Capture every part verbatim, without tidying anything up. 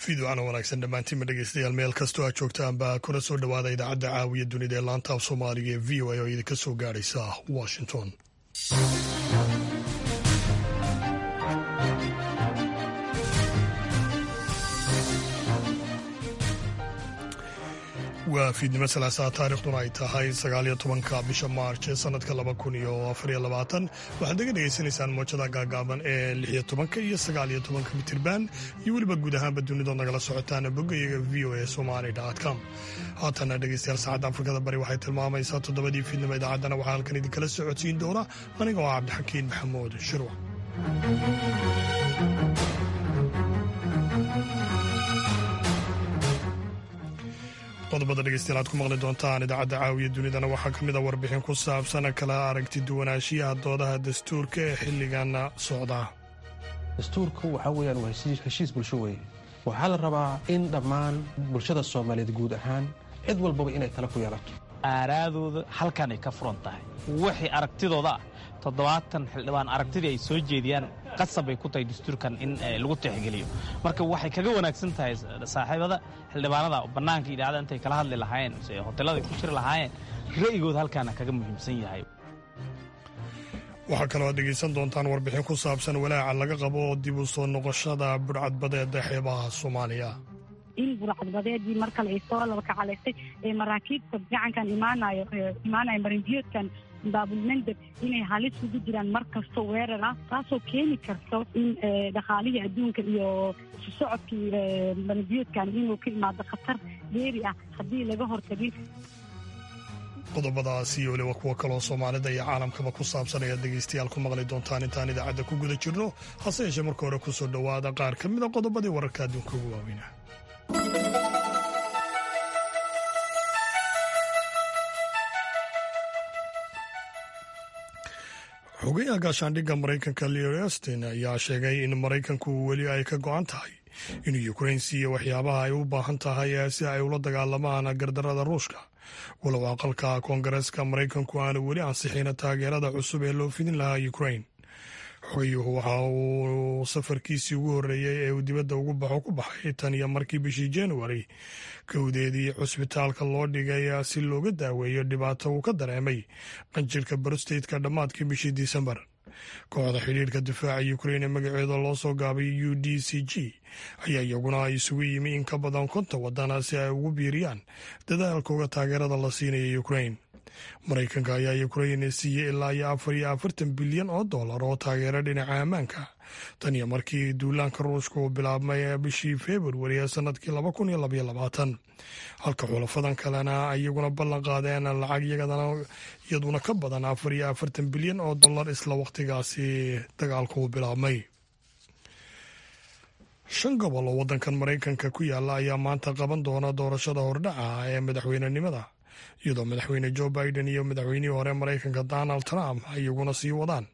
Fiidwacna wanaagsan dhammaantiinma dhegeystayaal, meel kastoo aad joogtaanba kuna soo dhowaada idaacadda caawiya dunida ee laanta af Soomaaliga ee V O A oo idinka soo gaadhaysa Washington. Waa fiidnimo Salaasaa, taarikhduna ay tahay sagaaliyo tobanka bisha Maarch ee sanadka laba kun iyo afariyo labaatan. Waxaad naga dhegeysanaysaan mowjada gaagaaban ee lixiyo tobanka iyo sagaaliyo tobanka mitirban iyo weliba guud ahaanba dunidood nagala socotaan boggayaga V O A Somali com. Haatana dhegeystayaal, saacadda Afrikada Bari waxay tilmaamaysaa toddobadii fiidnimo. Idaacaddana waxaa halkan idinkala socodsiin doona aniga oo Cabdixakiin Maxamuud Shirwac. Qodobada dhegeystayaal aad ku maqli doontaan idaacadda caawiya dunidana waxaa ka mid a warbixin ku saabsan kala aragti duwanaanshiyaha doodaha dastuurka ee xilligan socda. Dastuurku waxaa weyaan waa heshiis bulsho weeye. Waxaa la rabaa in dhammaan bulshada Soomaaliyeed guud ahaan cid walbaba inay tala ku yeelato. Aaraadooda halkanay ka furan tahay. Wixii aragtidooda ah, toddobaatan xildhibaan aragtidii ay soo jeediyaan qasab bay ku tahay dastuurkan in lagu tixgeliyo. Marka waxay kaga wanaagsan tahay saaxiibada xildhibaanada bannaanka idaacada intay kala hadli lahaayeen mise hoteelada ku jiri lahaayeen, ra'yigooda halkaana kaga muhiimsan yahay. Waxaa kaloo aad dhegeysan doontaan warbixin ku saabsan walaaca laga qabo dib u soo noqoshada budhcadbadeeda xeebaha Soomaaliya. In burcadbadeedii mar kale ay soo laba kacalaystay ee maraakiibta gacankan imaanayo imaanayo marinbiyoodkan Baabulmandeb inay halis ugu jiraan mar kasto weerar ah, taasoo keeni karto in dhaqaalihii adduunka iyo isu socodkii marinbiyoodkan inuu ka imaado khatar dheeri ah haddii laga hortagin. Qodobadaas iyo weliba kuwo kaloo Soomaalida iyo caalamkaba ku saabsan ayaad dhegeystayaal ku maqli doontaan intaan idaacadda ku guda jirno. Hase yeeshee marka hore kusoo dhowaada qaar ka mida qodobadii wararka adduunka ugu waaweyna. Xogayaha gaashaandhigga Maraykanka Lloyd Austin ayaa sheegay in Maraykanku weli ay ka go'an tahay inuu Ukrain siiyo waxyaabaha ay u baahan tahay si ay ula dagaalamaan gardarada Ruushka, walow aqalka Koongareeska Maraykanku aanu weli ansixin taageerada cusub ee loo fidin lahaa Ukrain. Xogayuhu waxa uu safarkiisii ugu horreeyey ee uu dibadda ugu baxo ku baxay tan iyo markii bishii Januari kowdeedii cusbitaalka loo dhigay si looga daaweeyo dhibaato uu ka dareemay qanjirka prostate-ka dhammaadkii bishii Disembar. Kooxda xidhiirka difaaca Ukrain ee magaceeda loo soo gaabay U D C G ayaa iyaguna isugu yimi in ka badan konton wadana si ay ugu biiriyaan dadaalkooga taageerada la siinaya Ukrain. Maraykanka ayaa Ukrain siiyey ilaa iyo afar iyo afartan bilyan oo dollar oo taageero dhinaca ammaanka tan iyo markii duulaanka Ruushka uu bilaabmay bishii Februari ee sanadkii laba kun iyo labaiyo labaatan, halka xulafadan kalena iyaguna ballan qaadeen lacag iyaduna ka badan afar iyo afartan bilyan oo dollar isla waqtigaasi dagaalku uu bilaabmay. Shan gobol oo waddankan Maraykanka ku yaala ayaa maanta qaban doona doorashada hordhaca ee madaxweynenimada, iyadoo Madaxweyne Joe Biden iyo madaxweynihii hore Maraykanka Donald Trump iyaguna sii wadaan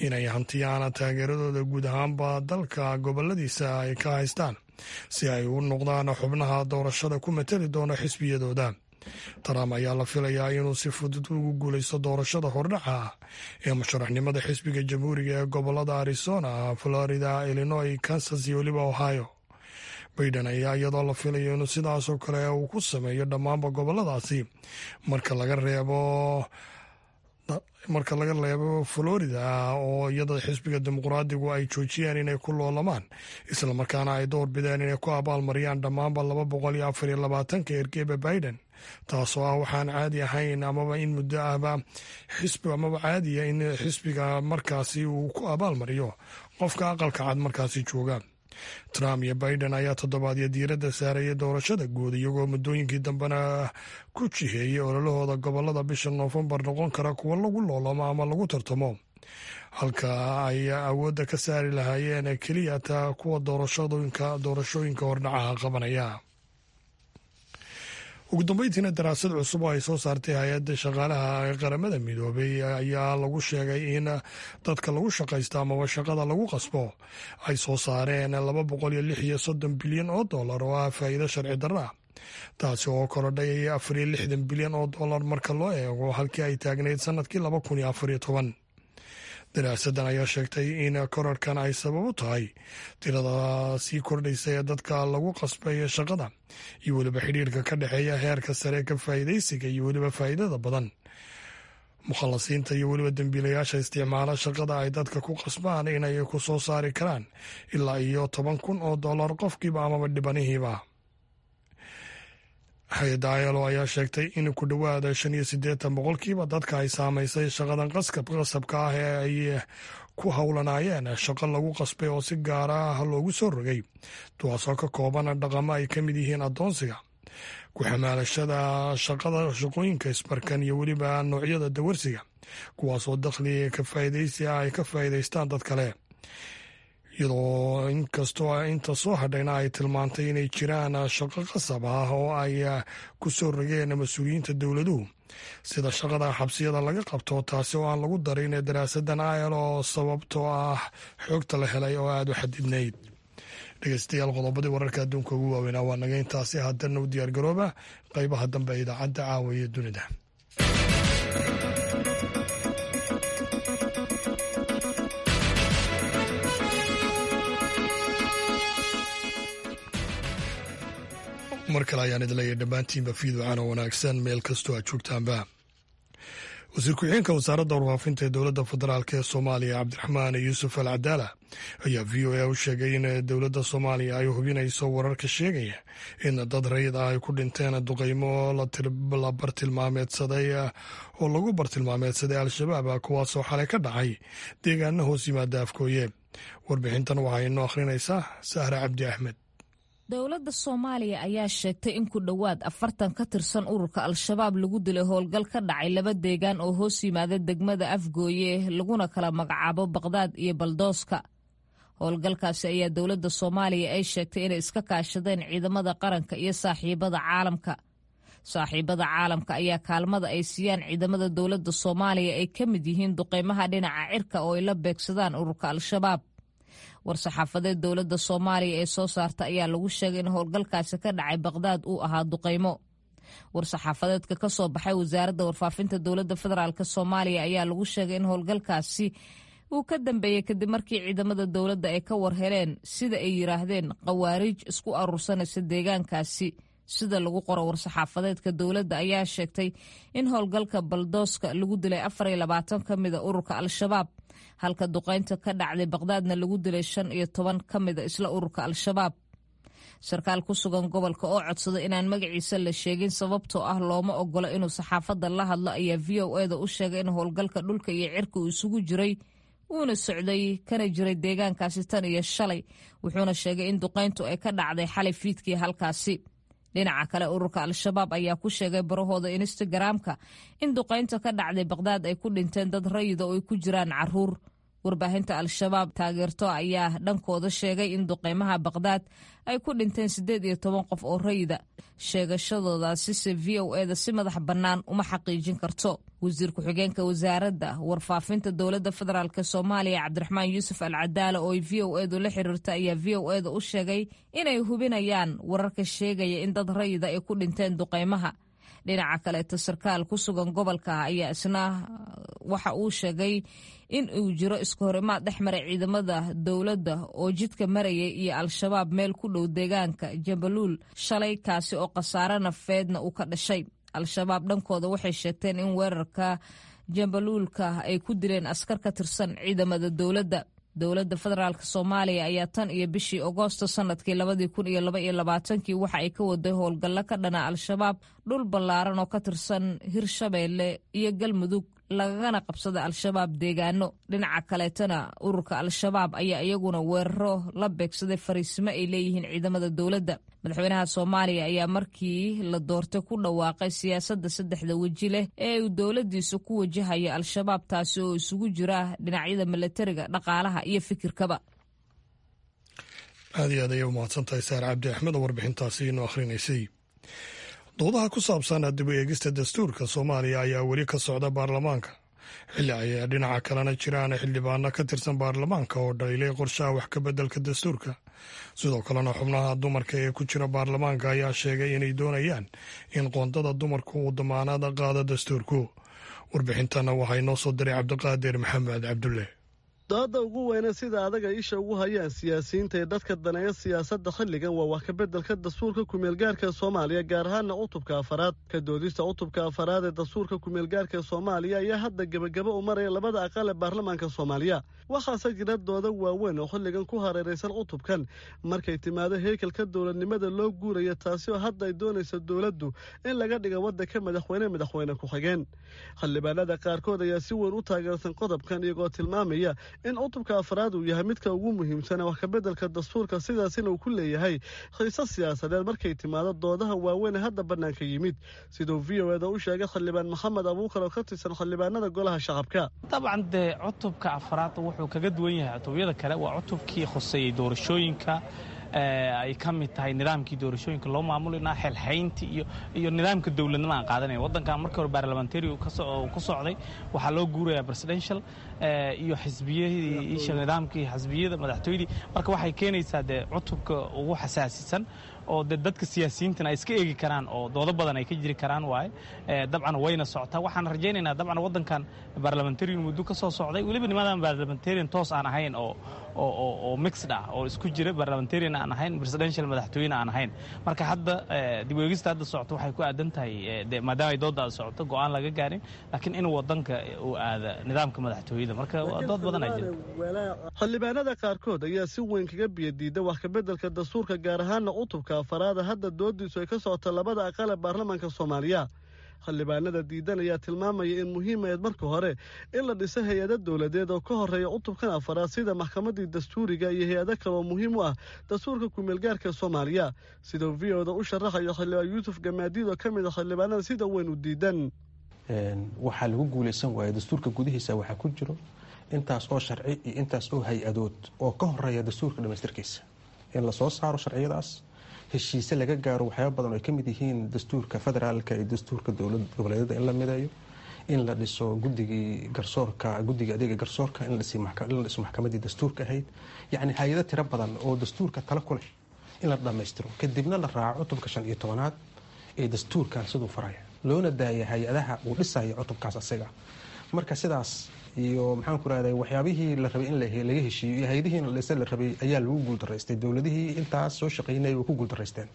inay hantiyaan taageeradooda guud ahaanba dalka goboladiisa ay ka haystaan si ay u noqdaan xubnaha doorashada ku matali doona xisbiyadooda. Trump ayaa la filayaa inuu si fudud ugu guuleysto doorashada hordhaca ee musharaxnimada xisbiga Jamhuuriga ee gobolada Arizona, Florida, Illinois, Kansas iyo weliba Ohio. Biden ayaa iyadoo la filayo inuu sidaasoo kale uu ku sameeyo dhammaanba goboladaasi marka laga reebo marka laga reebo Florida, oo iyada xisbiga Dimuqraadigu ay joojiyeen inay ku loolamaan, islamarkaana ay door bideen inay ku abaalmariyaan dhammaanba laba boqol iyo afar iyo labaatanka ergeba Biden, taasoo ah waxaan caadi ahayn amaba in muddo ahba xisbi amaba caadiya in xisbiga markaasi uu ku abaalmariyo qofka Aqalka Cad markaasi jooga. Trump iyo Biden ayaa toddobaadyo diiradda saarayay doorashada guud, iyagoo muddooyinkii dambena ku jiheeyey ololahooda gobolada bisha Noofembar noqon kara kuwo lagu loolamo ama lagu tartamo, halka ay awoodda ka saari lahaayeen keliya taa kuwa doorashooyinka doorashooyinka hordhacaha qabanaya. Ugu dambeyntiina, daraasad cusub oo ay soo saartay hay-adda shaqaalaha ee Qaramada Midoobay ayaa lagu sheegay in dadka lagu shaqaysto amaba shaqada lagu qasbo ay soo saareen laba boqol iyo lix iyo soddon bilyan oo dollar oo ah faa'iido sharci darro ah, taasi oo korodhay afar iyo lixdan bilyan oo dollar marka loo eego halkii ay taagnayd sanadkii laba kun iyo afar iyo toban. Daraasadan ayaa sheegtay in korarhkan ay sabab u tahay tirada sii kordhaysa ee dadka lagu qasbay shaqada iyo weliba xidhiirka ka dhexeeya heerka sare ka faa'iidaysiga iyo weliba faa'iidada badan. Mukhalasiinta iyo weliba dembiilayaasha isticmaala shaqada ay dadka ku qasbaan inay ku soo saari karaan ilaa iyo toban kun oo dollar qofkiiba amaba dhibanihiiba. Hay-adda I L O ayaa sheegtay in ku dhowaada shan iyo siddeetan boqolkiiba dadka ay saamaysay shaqadan qasabka ah ee ay ku howlanaayeen shaqo lagu qasbay oo si gaara ah loogu soo rogay, kuwaasoo ka kooban dhaqamo ay ka mid yihiin addoonsiga, ku xamaalashada shaqada, shaqooyinka isbarkan iyo weliba noocyada dawarsiga, kuwaasoo dakhli ka faa'iidaysi ah ay ka faa'iidaystaan dad kale, iyadoo inkastoo inta soo hadhayna ay tilmaantay inay jiraan shaqo qasab ah oo ay ku soo rogeen mas-uuliyiinta dowladuhu, sida shaqada xabsiyada laga qabto, taasi oo aan lagu darin daraasadan I L O sababtoo ah xogta la helay oo aada u xadidnayd. Dhegeystayaal, qodobadii wararka adduunka ugu waaweynaa waa naga intaasi. Haddana u diyaar garooba qaybaha dambe ee idaacadda Caawa iyo Dunida. Mar kale ayaan idin leeyahay dhammaantiinba fiidwacan oo wanaagsan meel kastoo aad joogtaanba. Wasiir ku-xigeenka wasaaradda warfaafinta ee dowladda federaalk ee Soomaaliya, Cabdiraxmaan Yuusuf Al Cadaala, ayaa V O A u sheegay in dowladda Soomaaliya ay hubinayso wararka sheegaya in dad rayid ah ay ku dhinteen duqeymo la bartilmaameedsaday oo lagu bartilmaameedsaday Al-Shabaab, kuwaasoo xalay ka dhacay deegaano hoos yimaada Afgooye. Warbixintan waxaa inoo akhrinaysaa Sahra Cabdi Axmed. Dowladda Soomaaliya ayaa sheegtay in ku dhowaad afartan ka tirsan ururka Al-Shabaab lagu dilay howlgal ka dhacay laba deegaan oo hoos yimaada degmada Afgooye, laguna kala magacaabo Baqdaad iyo Baldooska. Howlgalkaasi ayaa dowladda Soomaaliya ay sheegtay inay iska kaashadeen ciidamada qaranka iyo saaxiibada caalamka. Saaxiibada caalamka ayaa kaalmada ay siiyaan ciidamada dowladda Soomaaliya ay ka mid yihiin duqeymaha dhinaca cirka oo ay la beegsadaan ururka Al-Shabaab. War-saxaafadeed dowladda Soomaaliya ee soo saarta ayaa lagu sheegay in howlgalkaasi ka dhacay Baqdaad uu ahaa duqeymo. War-saxaafadeedka ka soo baxay wasaaradda warfaafinta dowladda federaalk Soomaaliya ayaa lagu sheegay in howlgalkaasi uu ka dambeeyey kadib markii ciidamada dowladda ay ka war heleen, sida ay yiraahdeen, khawaariij isku aruursanaysa deegaankaasi. Sida lagu qoro war-saxaafadeedka, dowladda ayaa sheegtay in howlgalka Baldooska lagu dilay afar iyo labaatan ka mida ururka Al-Shabaab, halka duqeynta ka dhacday Baqdaadna lagu dilay shan iyo toban ka mida isla ururka Al-Shabaab. Sarkaal ku sugan gobolka oo codsaday inaan magaciisa la sheegin sababtoo ah looma ogolo inuu saxaafadda la hadlo ayaa V O A da u sheegay in howlgalka dhulka iyo cirka uu isugu jiray uuna socday kana jiray deegaankaasi tan iyo shalay, wuxuuna sheegay in duqeyntu ay ka dhacday xalay fiidkii halkaasi. Dhinaca kale, ururka Al-Shabaab ayaa ku sheegay barahooda Instagram-ka in duqeynta ka dhacday Baqdaad ay ku dhinteen dad rayida oo ay ku jiraan caruur. Warbaahinta Al-Shabaab taageerto ayaa dhankooda sheegay in duqeymaha Baqdaad ay ku dhinteen siddeed iyo toban qof oo rayida. Sheegashadoodaasi se V O A da si madax bannaan uma xaqiijin karto. Wasiir ku-xigeenka wasaaradda warfaafinta dowladda federaalk Soomaaliya, Cabdiraxmaan Yuusuf Al Cadaala, oo ay V O A du la xiriirta, ayaa V O A da u sheegay inay hubinayaan wararka sheegaya in dad rayida ay ku dhinteen duqeymaha. Dhinaca kaleeto, sarkaal ku sugan gobolka ayaa isna waxa uu sheegay in uu jiro iska horimaad dhex maray ciidamada dowladda oo jidka marayay iyo Al-Shabaab meel ku dhow deegaanka Jambaluul shalay, kaasi oo khasaare nafeedna uu ka dhashay. Al-Shabaab dhankooda waxay sheegteen in weerarka Jambaluulka ay ku dileen askar ka tirsan ciidamada dowladda. Dowladda federaalk Soomaaliya ayaa tan iyo bishii Agoosto sanadkii labadii kun iyo laba iyo labaatankii waxa ay ka waday howlgallo ka dhana Al-Shabaab dhul ballaaran oo ka tirsan Hirshabeelle iyo Galmudug, lagagana qabsada Al-Shabaab deegaano. Dhinaca kaleetana, ururka Al-Shabaab ayaa iyaguna weeraro la beegsaday fariisimo ay leeyihiin ciidamada dowladda. Madaxweynaha Soomaaliya ayaa markii la doortay ku dhawaaqay siyaasadda saddexda weji leh ee uu dowladdiisu ku wajahayo Al-Shabaab, taasi oo isugu jira dhinacyada milatariga, dhaqaalaha iyo fikirkaba. Aad iyo aad ayay umahadsan tahay Saar Cabdi Axmed oo warbixintaasi inoo akhrinaysay. Doodaha ku saabsan dib u eegista dastuurka Soomaaliya ayaa weli ka socda baarlamaanka, xilli ay dhinaca kalena jiraan xildhibaano ka tirsan baarlamaanka oo dhaliilay qorshaha wax ka beddelka dastuurka. Sidoo kalena, xubnaha dumarka ee ku jira baarlamaanka ayaa sheegay inay doonayaan in qoondada dumarku uu damaanad qaado dastuurku. Warbixintana waxaa inoo soo diray Cabdiqaadir Maxamed Cabdulle. Dooda ugu weyne sida adaga isha ugu hayaan siyaasiyiinta ee dadka daneeya siyaasadda xilligan waa wax kabeddelka dastuurka kumeelgaarka Soomaaliya, gaar ahaana cutubka afaraad. Ka doodista cutubka afaraad ee dastuurka kumeelgaarka Soomaaliya ayaa hadda gebagabo u maraya labada aqal ee baarlamaanka Soomaaliya. Waxaase jira dooda waaweyn oo xilligan ku hareeraysan cutubkan markay timaado heykalka dowladnimada loo guuraya, taasi oo hadda ay doonaysa dowladdu in laga dhiga waddanka madaxweyne madaxweyne ku-xigeen. Xildhibaanada qaarkood ayaa si weyn u taageersan qodobkan, iyagoo tilmaamaya in cutubka afraad uu yahay midka ugu muhiimsan wax kabeddelka dastuurka, sidaasina uu ku leeyahay xiise siyaasadeed markay timaado doodaha waaweyn ee hadda bannaanka yimid, siduu V O eda u sheegay xildhibaan Maxamed Abuukar oo ka tirsan xildhibaanada golaha shacabka. Dabcan dee cutubka afraad wuxuu kaga duwan yahay cutubyada kale, waa cutubkii khuseeyey doorashooyinka, ay ka mid tahay nidaamkii doorashooyinka loo maamulina, xelxayntii iyo iyo nidaamka dowladnimo aan qaadanaya. Waddankan markii hore baarlamentary ku socday, waxaa loo guurayaa presidential iyo xisbiyadii isha nidaamkii xisbiyada madaxtooyadii. Marka waxay keenaysaa dee cutubka ugu xasaasisan oo dee dadka siyaasiyiintana ay iska eegi karaan oo doodo badan ay ka jiri karaan waaye. Dabcan wayna socotaa, waxaan rajaynaynaa dabcan waddankan baarlamentarian muddo ka soo socday, weliba nimadan baarlamentarian toos aan ahayn oo oo oo mixed ah oo isku jira, baarlamentarian aan ahayn, presidential madaxtooyena aan ahayn. Marka hadda dib u eegista hadda socoto waxay ku aadan tahay, maadaama ay doodda socoto go'aan laga gaarin, laakiin in waddanka uu aada nidaamka madaxtooyada. Marka dood badan aa jira. Xildhibaanada qaarkood ayaa si weyn kaga biyadiida wax kabeddelka dastuurka, gaar ahaana cutubka afaraada hadda doodiisu ay ka socota labada aqal ee baarlamaanka Soomaaliya. Xildhibaanada diidan ayaa tilmaamaya in muhiim ahayd marka hore in la dhiso hay-ado dowladeed oo ka horeeya cutubkan afaraad, sida maxkamaddii dastuuriga iyo hay-ado kale oo muhiim u ah dastuurka kumeelgaarka Soomaaliya, siduu V O da u sharaxayo xildhibaan Yuusuf Gamaadiid oo ka mid a xildhibaanada sida weyn u diidan. Waxaa lagu guulaysan waaya dastuurka gudihiisa waxaa ku jiro intaas oo sharci iyo intaas oo hay-adood oo ka horeeya dastuurka dhamaystirkiisa, in lasoo saaro sharciyadaas, heshiise laga gaaro waxyaaba badan oo ay ka mid yihiin dastuurka federaalka iyo dastuurka dowlad goboleedyada in la mideeyo, in la dhiso guddigii garsoorka, guddiga adeega garsoorka, in la dhiso maxkamaddii dastuurka ahayd, yacni hay-ado tiro badan oo dastuurka tala ku leh in la dhammaystiro, kadibna la raaco cutubka shan iyo tobanaad ee dastuurkan siduu faraya, loona daaya hay-adaha uu dhisayo cutubkaas asiga. Marka sidaas iyo maxaan ku rahday waxyaabihii la rabay in laga heshiiyo iyo hay-adihii la dhisa la rabay ayaa lagu guuldaraystay. Dowladihii intaas soo shaqaynayay way ku guuldaraysteen.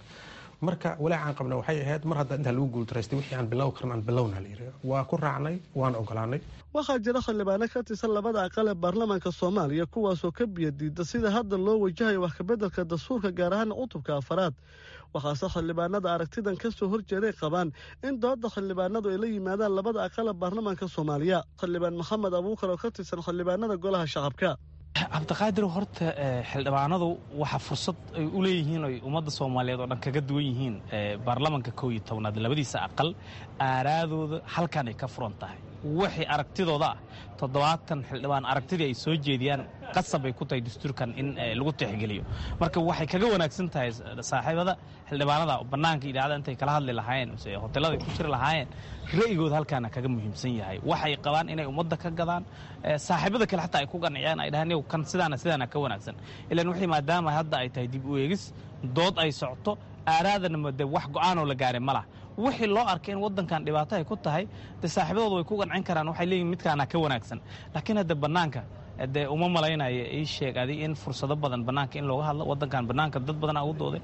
Marka walaacaan qabna waxay ahayd mar hadda intaa lagu guuldaraystay wixii aan bilow karan aan bilowna la yiri, waa ku raacnay, waan ogolaanay. Waxaa jira xildhibaano ka tirsan labada aqal ee baarlamaanka Soomaaliya kuwaasoo ka biyadiida sida hadda loo wajahayo wax kabeddelka dastuurka, gaar ahaan cutubka afaraad. Waxaase xildhibaanada aragtidan ka soo horjeeday qabaan in dooda xildhibaanadu ay la yimaadaan labada aqal ee baarlamaanka Soomaaliya. Xildhibaan Maxamed Abuukar oo ka tirsan xildhibaanada golaha shacabka. Cabdiqaadir, horta xildhibaanadu waxa fursad ay u leeyihiin oy ummadda Soomaaliyeed oo dhan kaga duwan yihiin baarlamanka kow iyo tobnaad labadiisa aqal, aaraadooda halkan ay ka furan tahay. Wixii aragtidooda ah toddobaatan xildhibaan aragtidii ay soo jeediyaan qasab ay ku tahay dastuurkan in lagu tixgeliyo. Marka waxay kaga wanaagsan tahay saaxiibada xildhibaanada bannaanka idaacada intay kala hadli lahaayeen mise hoteelada ay ku jiri lahaayeen, ra'yigooda halkaana kaga muhiimsan yahay. Waxay qabaan inay ummadda ka gadaan, saaxiibada kale xataa ay ku qanciyaan, ay dhahaan iyagu kan sidaana sidaana ka wanaagsan. Ilaan wixii maadaama hadda ay tahay dib u eegis, dood ay socoto, aaraadana de wax go'aanoo la gaaray ma laha. Wixii loo arkay in waddankan dhibaato ay ku tahay dee saaxiibadooda way ku qancin karaan, waxay leeyihin midkaana ka wanaagsan. Laakiin hadda bannaanka dee uma malaynayo ii sheeg adi in fursado badan bannaanka in looga hadlo waddankan bannaanka dad badanaa ugu dooday.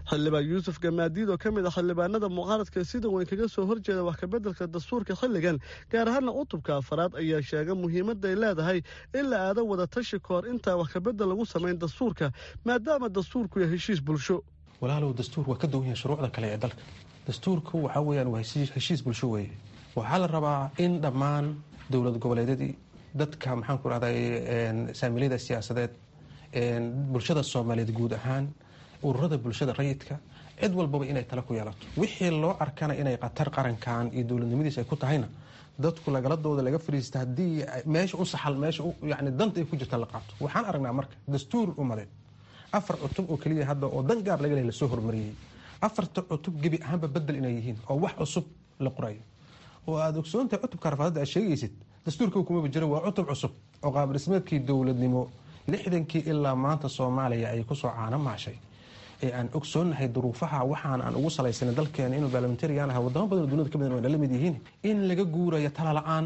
Xildhibaan Yuusuf Gamaadiid oo ka mid ah xildhibaanada mucaaradka sida weyn kaga soo horjeeda wax kabeddelka dastuurka xilligan, gaar ahaana cutubka afaraad, ayaa sheegay muhiimadda ay leedahay in la aado wada tashi ka hor intaa wax kabedel lagu samayn dastuurka, maadaama dastuurku yahay heshiis bulsho. Walaalow, dastuur waa ka duwan yahay shuruucda kale ee dalka. Dastuurku waxaa weeyaan waa heshiis bulsho weeye. Waxaa la rabaa in dhammaan dowlad goboleedyadii, dadka maxaan ku rahday saamiilyada siyaasadeed, bulshada Soomaaliyeed guud ahaan, ururada bulshada rayidka, cid walbaba inay tala ku yeelato. Wixii loo arkana inay khatar qarankan iyo dowladnimadiisa ay ku tahayna dadku lagaladooda laga fariista, haddii meesha u saxal meesha yani danta ay ku jirta la qaato. Waxaan aragnaa marka dastuur umadeed afar cutub oo keliya hadda oo dan gaar laga lehay lasoo hormariyey, afarta cutub gebi ahaanba bedel inay yihiin oo wax cusub la qorayo. Oo aada ogsoontahay cutubka rafaadada aad sheegaysid dastuurka kumaba jiro, waa cutub cusub oo qaab dhismeedkii dowladnimo lixdankii ilaa maanta Soomaaliya ay kusoo caano maashay ee aan ogsoonnahay duruufaha waxaan aan ugu salaysanay dalkeena inuu baarlamentarian ahaa, wadamo badan oo dunida ka badan waa la mid yihiin, in laga guurayo tala la-aan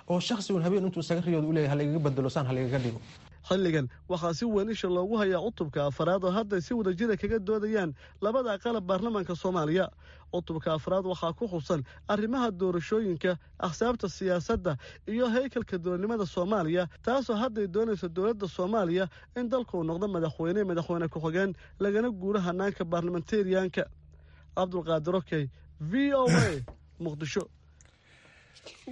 Oo shakhsi un habeen intuu isaga riyooda u leeyahay halagaga bedelo, saan halagaga dhigo. Xilligan waxaa si weyn isha loogu hayaa cutubka afaraad oo hadday si wadajira kaga doodayaan labada aqalab baarlamaanka Soomaaliya. Cutubka afraad waxaa ku xusan arrimaha doorashooyinka, axsaabta siyaasadda iyo haykalka dowladnimada Soomaaliya, taasoo hadday doonayso dowladda Soomaaliya in dalku noqdo madaxweyne, madaxweyne ku-xigeen, lagana guuro hanaanka baarlamentariyanka. Cabdulqaadir Okey, V O A, Muqdisho.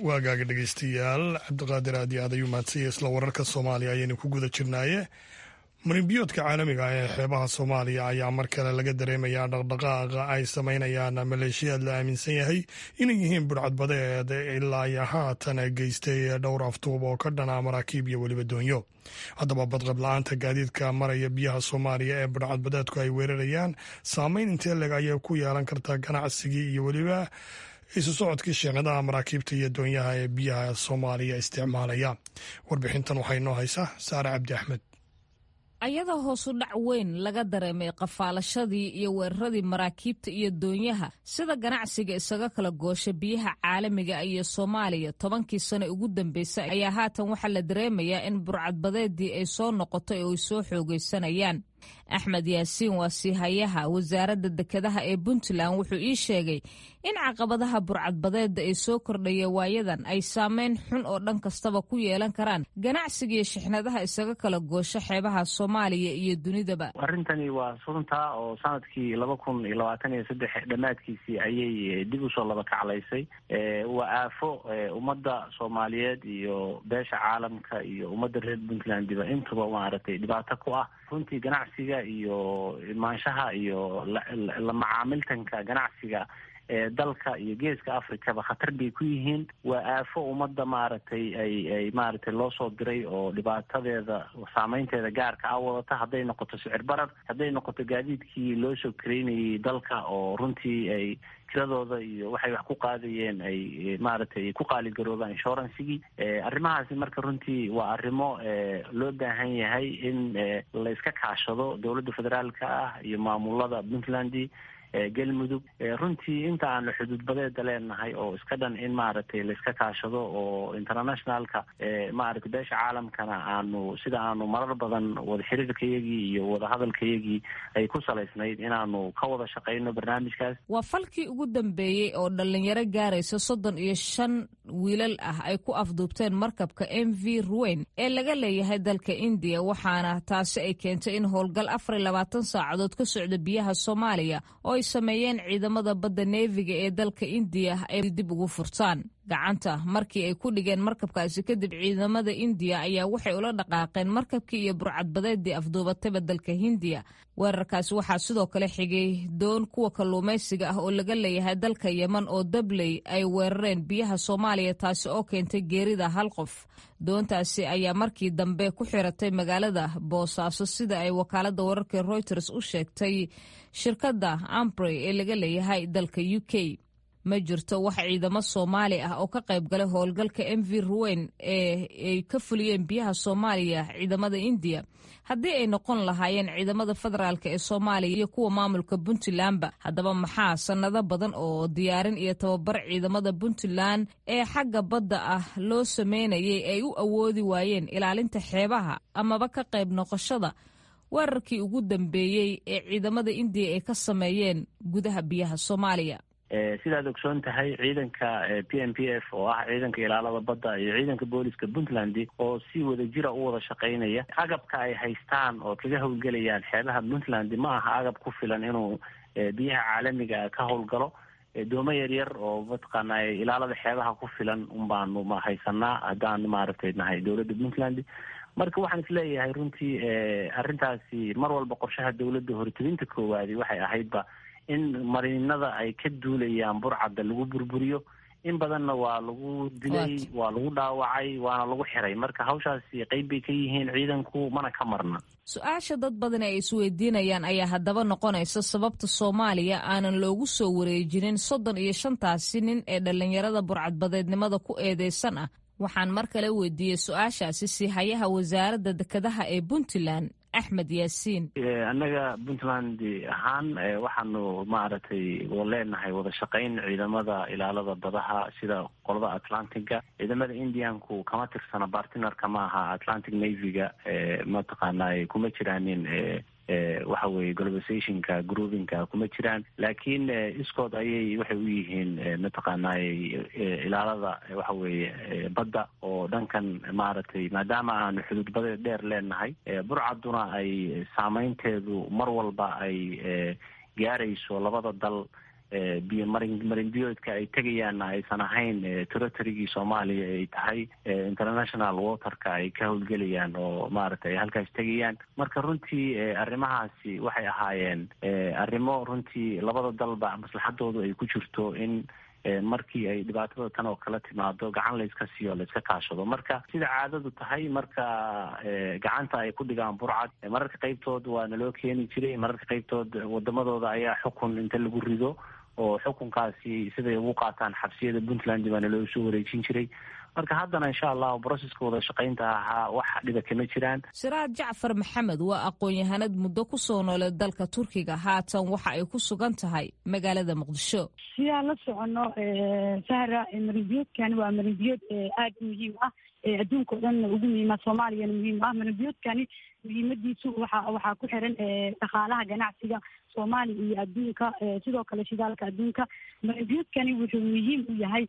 Waagaaga dhegeystayaal, Cabdiqaadir aad iyo aad ayuu mahadsanyay. Isla wararka Soomaaliya ayaynu ku guda jirnaaye, marinbiyoodka caalamiga ah ee xeebaha Soomaaliya ayaa mar kale laga dareemayaa dhaqdhaqaaqa ay sameynayaan maleeshiyaad la aaminsan yahay inay yihiin budhcadbadeed ilaa iyo haatan geystay dhowr aftuub oo ka dhana maraakiib iyo weliba doonyo. Haddaba, badqab la-aanta gaadiidka maraya biyaha Soomaaliya ee budhcadbadeedku ay weerarayaan saameyn intee le'eg ayay ku yeelan kartaa ganacsigii iyo weliba isu socodkii sheekadaha maraakiibta iyo doonyaha ee biyaha Soomaaliya isticmaalaya? Warbixintan waxay noo haysaa Saare Cabdi Axmed. Ayadoo hoosu dhac weyn laga dareemay qafaalashadii iyo weeraradii maraakiibta iyo doonyaha sida ganacsiga isaga kala goosha biyaha caalamiga iyo Soomaaliya tobankii sano ugu dambeysay, ayaa haatan waxaa la dareemayaa in burcadbadeedii ay soo noqotay oo ay soo xoogaysanayaan. Axmed Yaasiin waa siihayaha wasaaradda dekedaha ee Puntland. Wuxuu ii sheegay in caqabadaha burcadbadeedda ee soo kordhaya waayadan ay saameyn xun oo dhan kastaba ku yeelan karaan ganacsiga iyo shixnadaha isaga kala goosho xeebaha Soomaaliya iyo dunidaba. Arrintani waa runtaa oo sanadkii laba kun iyo labaatan iyo saddex dhammaadkiisii ayay dib usoo laba kaclaysay. Waa aafo ummadda Soomaaliyeed iyo beesha caalamka iyo ummadda reer Puntlandiba intuba maaragtay dhibaato ku ah runtii. Ganacsiga iyo imaanshaha iyo la macaamiltanka ganacsiga ee dalka iyo Geeska Africaba khatar bay ku yihiin. Waa aafo ummadda maaragtay ay ay maaragtay loo soo diray oo dhibaatadeeda, saameynteeda gaarka ah wadata, hadday noqoto sicir barar, hadday noqoto gaadiidkii loo soo kareynayay dalka oo runtii ay kiradooda iyo waxay wax ku qaadayeen ay maaragtay ku qaaligaroobaan, insurancegii, arrimahaasi. Marka runtii waa arrimo loo baahan yahay in la iska kaashado dowladda federaalka ah iyo maamulada Puntland, Galmudug, runtii inta aanu xuduudbadeeda leenahay oo iska dhan, in maaragtay la iska kaashado oo internationalka, maaragtay beesha caalamkana aanu sida aanu marar badan wada xiriirkayagii iyo wadahadalkayagii ay ku salaysnayd inaanu ka wada shaqeyno barnaamijkaas. Waa falkii ugu dambeeyey oo dhallinyaro gaaraysa soddon iyo shan wiilal ah ay ku afduubteen markabka M V Ruweyn ee laga leeyahay dalka Indiya, waxaana taasi ay keentay in howlgal afar iyo labaatan saacadood ka socda biyaha Soomaaliya oo ay sameeyeen ciidamada badda neefiga ee dalka Indiya ay dib ugu furtaan gacanta. Markii ay ku dhigeen markabkaasi kadib, ciidamada Indiya ayaa waxay ula dhaqaaqeen markabkii iyo burcadbadeedii afduubatayba dalka Hindiya. Weerarkaasi waxaa sidoo kale xigay doon kuwa kalluumaysiga ah oo laga leeyahay dalka Yeman oo dabley ay weerareen biyaha Soomaaliya, taasi oo keentay geerida hal qof. Doontaasi ayaa markii dambe ku xiratay magaalada Boosaaso, sida ay wakaalada wararka Reuters u sheegtay shirkadda Ambrey ee laga leeyahay dalka U K. Ma jirto wax ciidamo Soomaali ah oo ka qayb galay howlgalka M V Ruweyn ee ay ka fuliyeen biyaha Soomaaliya ciidamada Indiya, haddii ay noqon lahaayeen ciidamada federaalk ee Soomaaliya iyo kuwa maamulka Puntlandba. Haddaba, maxaa sannado badan oo diyaarin iyo tababar ciidamada Puntland ee xagga badda ah loo sameynayay ay u awoodi waayeen ilaalinta xeebaha amaba ka qayb noqoshada weerarkii ugu dambeeyey ee ciidamada Indiya ay ka sameeyeen gudaha biyaha Soomaaliya? Sidaad ogsoon tahay, ciidanka P M P F oo ah ciidanka ilaalada badda iyo ciidanka booliska Puntland oo si wada jira u wada shaqaynaya, agabka ay haystaan oo kaga howlgelayaan xeebaha Puntland ma aha agab ku filan inuu biyaha caalamiga ka howlgalo. Doomo yaryar oo mataqaana ilaalada xeebaha ku filan un baanu ma haysanaa haddaanu maaragtay nahay dowladda Puntland. Marka waxaan isleeyahay runtii arrintaasi mar walba qorshaha dowladda hortebinta koowaadi waxay ahaydba in mariinada ay ka duulayaan burcadda lagu burburiyo. In badanna waa lagu dilay, waa lagu dhaawacay, waana lagu xiray. Marka hawshaasi qeyb bay ka yihiin ciidanku, mana ka marna. Su-aasha dad badan ay isweydiinayaan ayaa haddaba noqonaysa sababta Soomaaliya aanan loogu soo wareejinin soddon iyo shantaasi nin ee dhallinyarada burcadbadeednimada ku eedeysan ah. Waxaan mar kale weydiiyey su-aashaasi siihayaha wasaaradda dekedaha ee Puntland, Axmed Yaasiin. Annaga Puntland ahaan waxaanu maaragtay leenahay wada shaqayn ciidamada ilaalada badaha sida qolada Atlantiga. Ciidamada Indianku kama tirsana, bartinarka ma aha Atlantic Navyga, mataqaanaa kuma jiraanin waxa weye globalizationka groupinka kuma jiraan, laakiin iskood ayay waxay u yihiin mataqaanay ilaalada waxa weeye badda oo dhankan maaragtay, maadaama aanu xuduud badeed dheer leenahay, burcaduna ay saameynteedu mar walba ay gaarayso labada dal, biyo marin marinbiyoodka ay tegayaanna aysan ahayn territorygii Soomaaliya, ay tahay international waterka ay ka howlgelayaan oo maaragtay ay halkaas tegayaan. Marka runtii arrimahaasi waxay ahaayeen arrimo runtii labada dalba maslaxadoodu ay ku jirto in markii ay dhibaatada tan oo kala timaado gacan layska siiyo, layska kaashado. Marka sida caadadu tahay, marka gacanta ay ku dhigaan burcad, mararka qaybtood waa naloo keeni jiray, mararka qaybtood wadamadooda ayaa xukun inta lagu rido oo xukunkaasi siday ugu qaataan xabsiyada Puntland baa naloo soo wareejin jiray. Marka haddana insha allahu broseska wada shaqaynta ahaa wax dhiba kama jiraan. Siraad Jacfar Maxamed waa aqoon-yahanad muddo ku soo nooleed dalka Turkiga, haatan waxa ay ku sugan tahay magaalada Muqdisho. Sidaan la soconno Sahra, marinbiyoodkani waa marinbiyood aada u muhiim ah, adduunka o dhanna ugu muhiima, Soomaaliyana muhiim ah. Marinbiyoodkani muhiimadiisu waxa waxaa ku xiran dhaqaalaha ganacsiga Soomaaliya iyo adduunka, sidoo kale shidaalka adduunka. Marinbiyoodkani wuxuu muhiim u yahay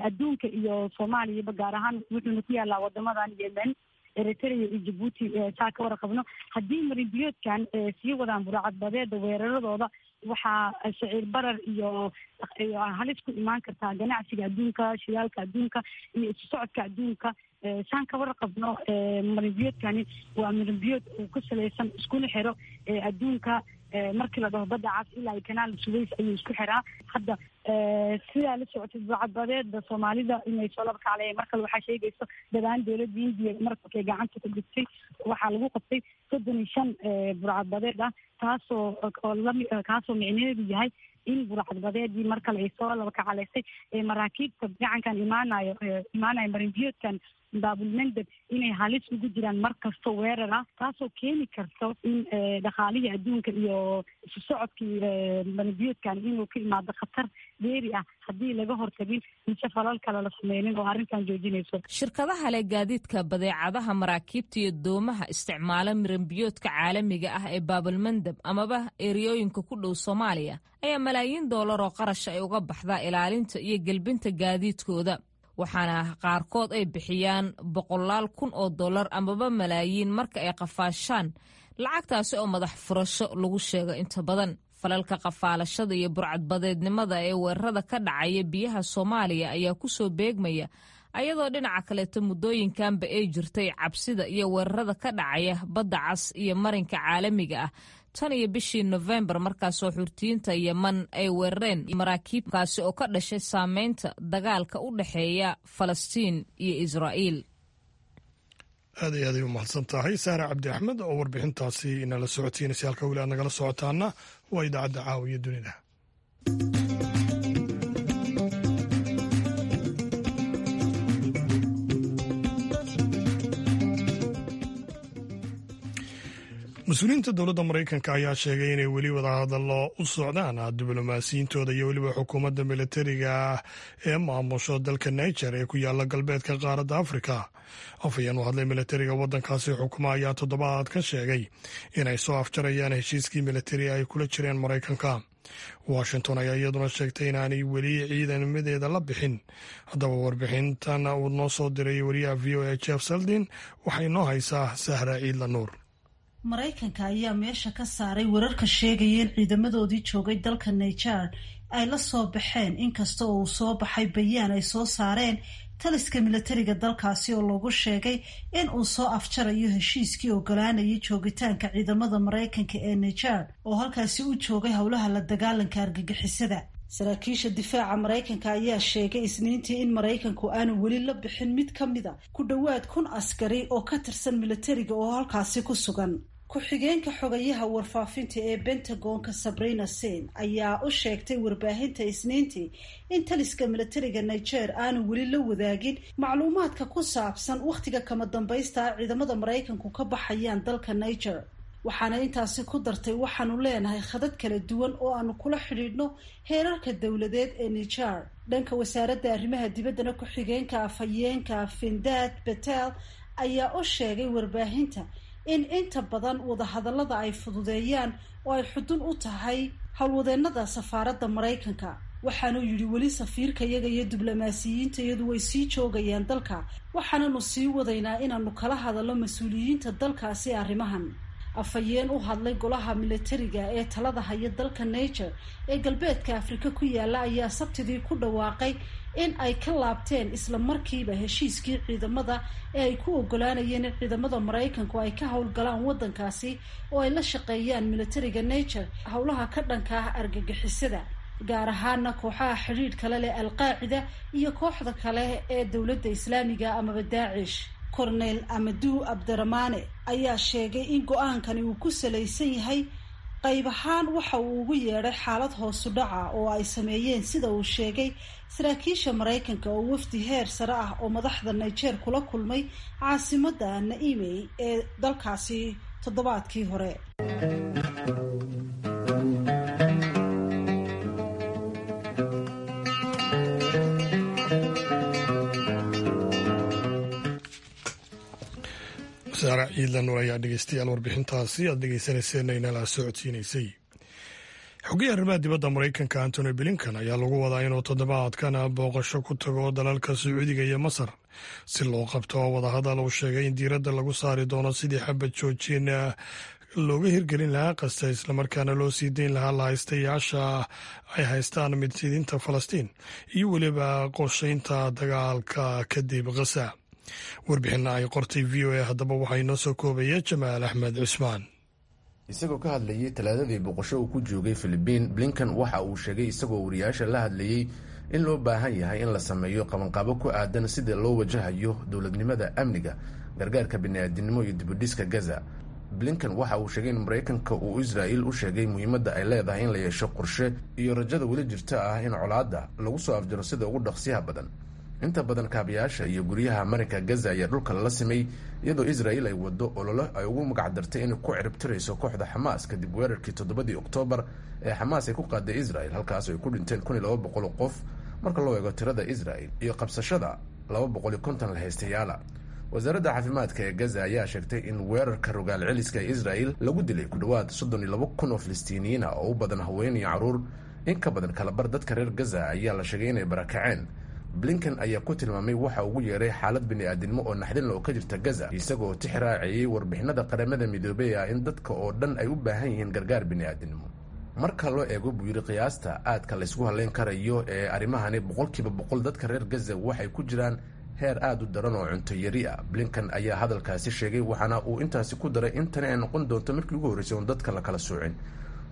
adduunka iyo Soomaaliyaba, gaar ahaan wuxuuna ku yaalaa wadamadan Yemen, Eritrea iyo Jabuuti. Saa ka warqabno, haddii marinbiyoodkan sii wadaan burcadbadeeda weeraradooda, waxaa siciir barar iyo iyo halis ku imaan kartaa ganacsiga adduunka, shidaalka adduunka iyo isu socodka adduunka. Saan ka warqabno, marinbiyoodkani waa marinbiyood uu ku salaysan iskuna xiro adduunka. Markii la dhaho badda cas ilaa kanaal Suways ayuu isku xiraa. Hadda sidaa la socotay, burcadbadeeda Soomaalida inay soo laba kacleeyeen mar kale waxaa sheegayso dhawaan dowladda Hindiya markabkay gacanta ku dhigtay waxaa lagu qabtay soddon iyo shan burcadbadeed ah, taasoo oo lami kaasoo micnaheedu yahay in burcadbadeedii mar kale ay soo laba kacaleysay ee maraakiibta gacankan imaanayo imaanayo marinbiyoodkan Baabulmandab inay halis ugu jiraan mar kasto weerar ah, taasoo keeni karto in dhaqaalihii adduunka iyo isu socodkii marinbiyoodkan inuu ka imaado khatar dheeri ah haddii laga hortagin mise falal kale la sameynin oo arrintan joojinayso. Shirkadaha leh gaadiidka badeecadaha, maraakiibta iyo doomaha isticmaala marinbiyoodka caalamiga ah ee Baabalmandab amaba eriyooyinka ku dhow Soomaaliya ayaa malaayiin doolar oo qarash ay uga baxdaa ilaalinta iyo gelbinta gaadiidkooda, waxaana qaarkood ay bixiyaan boqolaal kun oo dollar amaba malaayiin marka ay qafaashaan, lacagtaasi oo madax furasho lagu sheego inta badan. Falalka qafaalashada iyo burcadbadeednimada ee weerarada ka dhacaya biyaha Soomaaliya ayaa ku soo beegmaya ayadoo dhinaca kaleeto muddooyinkanba ay jirtay cabsida iyo weerarada ka dhacaya badda cas iyo marinka caalamiga ah tan iyo bishii Nofembar, markaasoo xurtiyiinta Yeman ay weerareen maraakiibkaasi oo ka dhashay saameynta dagaalka u dhexeeya Falastiin iyo Israa'iil. Aad iyo aaday u mahadsan tahay Saara Cabdi Axmed oo warbixintaasi inala socotiinaysa. Halka weli aad nagala socotaana waa idaacadda Caawiya Dunida. Mas-uuliyiinta dowladda Maraykanka ayaa sheegay inay weli wadahadallo u socdaan diblomaasiyiintooda iyo weliba xukuumadda militariga ee maamusho dalka Niger ee ku yaala galbeedka qaaradda Afrika. Afhayeen u hadlay militariga waddankaasi xukuma ayaa toddobaad ka sheegay inay soo afjarayaan heshiiskii militari ay kula jireen Maraykanka. Washington ayaa iyaduna sheegtay inaanay weli ciidamadeeda la bixin. Haddaba warbixintan uu noo soo diray wariyaha V O A Jeff Seldin waxay noo haysaa Sahra Ciidla Nuur. Maraykanka ayaa meesha ka saaray wararka sheegaya in ciidamadoodii joogay dalka Niger ay la soo baxeen, inkasta oo uu soo baxay bayaan ay soo saareen taliska militariga dalkaasi oo loogu sheegay in uu soo afjarayo heshiiskii ogolaanayay joogitaanka ciidamada Maraykanka ee Niger oo halkaasi u joogay howlaha la dagaalanka argagixisada. Saraakiisha difaaca Maraykanka ayaa sheegay Isniintii in Maraykanku aanu weli la bixin mid ka mida ku dhowaad kun askari oo ka tirsan militariga oo halkaasi ku sugan. Ku-xigeenka xogayaha warfaafinta ee Pentagonka Sabrina Sin ayaa u sheegtay warbaahinta Isniintii in taliska militariga Niger aanu weli la wadaagin macluumaadka ku saabsan wakhtiga kama dambaysta ah ciidamada Maraykanku ka baxayaan dalka Niger. Waxaana intaasi ku dartay, waxaanu leenahay khadad kala duwan oo aanu kula xidhiidhno heerarka dowladeed ee Niger. Dhanka wasaaradda arrimaha dibaddana, ku-xigeenka afhayeenka Findad Betel ayaa u sheegay warbaahinta in inta badan wadahadallada ay fududeeyaan oo ay xudun u tahay howlwadeenada safaaradda Maraykanka. Waxaanuu yidhi, weli safiirka iyaga iyo diblomaasiyiinta iyadu way sii joogayaan dalka, waxaananu sii wadaynaa inaanu kala hadallo mas-uuliyiinta dalkaasi arrimahan. Afhayeen u hadlay golaha milatariga ee talada haya dalka Niger ee galbeedka Afrika ku yaala ayaa Sabtidii ku dhawaaqay in ay ka laabteen isla markiiba heshiiskii ciidamada ee ay ku ogolaanayeen in ciidamada Maraykanku ay ka howlgalaan waddankaasi oo ay la shaqeeyaan milatariga Niger howlaha ka dhanka ah argagixisada, gaar ahaana kooxaha xidhiidh kale leh Alqaacida iyo kooxda kale ee Dowladda Islaamiga amaba Daacish. Cornel Amadou Abdaramaane ayaa sheegay in go-aankani uu ku salaysan yahay qayb ahaan waxa uu ugu yeedhay xaalad hoosu dhaca oo ay sameeyeen, sida uu sheegay, saraakiisha Maraykanka oo wafdi heer sare ah oo madaxda Niger kula kulmay caasimadda Naimey ee dalkaasi toddobaadkii hore. Saara Ciidlan ayaa dhegeystayaal warbixintaasi aad dhegeysanayseen inala socodsiinaysay. Xogayaha arrimaha dibadda Maraykanka Antony Blinkan ayaa lagu wadaa inuu toddobaadkan booqasho ku tago dalalka Sacuudiga iyo Masar si loo qabto wadahadal uu sheegay in diiradda lagu saari doono sidii xabad joojin looga hirgelin lahaa qasta, islamarkaana loo sii deyn lahaa lahaystayaasha ay haystaan midsidinta Falastiin iyo weliba qorsheynta dagaalka kadib Khasa. Warbixina ay qortay V O A haddaba waxaa inoo soo koobaya Jamaal Axmed Cusmaan. Isagoo ka hadlayey Talaadadii boqosho uu ku joogay Filibiin, Blinkan waxa uu sheegay, isagoo wariyaasha la hadlayey, in loo baahan yahay in la sameeyo qabanqaabo ku aadan sida loo wajahayo dowladnimada, amniga, gargaarka bini'aadinimo iyo dibudhiska Gaza. Blinkan waxa uu sheegay in Maraykanka uu Israa'il u sheegay muhiimadda ay leedahay in la yeesho qorshe iyo rajada weli jirta ah in colaadda lagu soo afjaro sida ugu dhaqsiyaha badan. Inta badan kaabayaasha iyo guryaha marinka Gaza ayaa dhulka lala simay, iyadoo Israel ay wado ololo ay ugu magacdartay inay ku ciribtirayso kooxda Xamaas kadib weerarkii toddobadii Oktoobar ee Xamaas ay ku qaaday Israel, halkaas ay ku dhinteen kun iyo laba boqol qof marka loo eego tirada Israel, iyo qabsashada laba boqol iyo konton lahaystayaala. Wasaaradda caafimaadka ee Gaza ayaa sheegtay in weerarka rogaal celiska ee Israel lagu dilay ku dhowaad soddon iyo laba kun oo Filistiiniyiin ah oo u badan haween iyo caruur. In ka badan kalabar dadka reer Gaza ayaa la sheegay inay barakaceen. Blinken ayaa ku tilmaamay waxa ugu yeeray xaalad bini'aadinimo oo naxdin oo ka jirta Gaza, isagoo tix raaciyey warbixinada Qaramada Midoobey ah in dadka oo dhan ay u baahan yihiin gargaar bini'aadinimo. Marka loo eego, buu yidhi, qiyaasta aadka laysku halleyn karayo ee arrimahani, boqolkiiba boqol dadka reer Gaza waxay ku jiraan heer aada u daran oo cunto yari ah. Blinken ayaa hadalkaasi sheegay, waxaana uu intaasi ku daray in tani ay noqon doonto markii ugu horreysay oon dadka la kala soocin.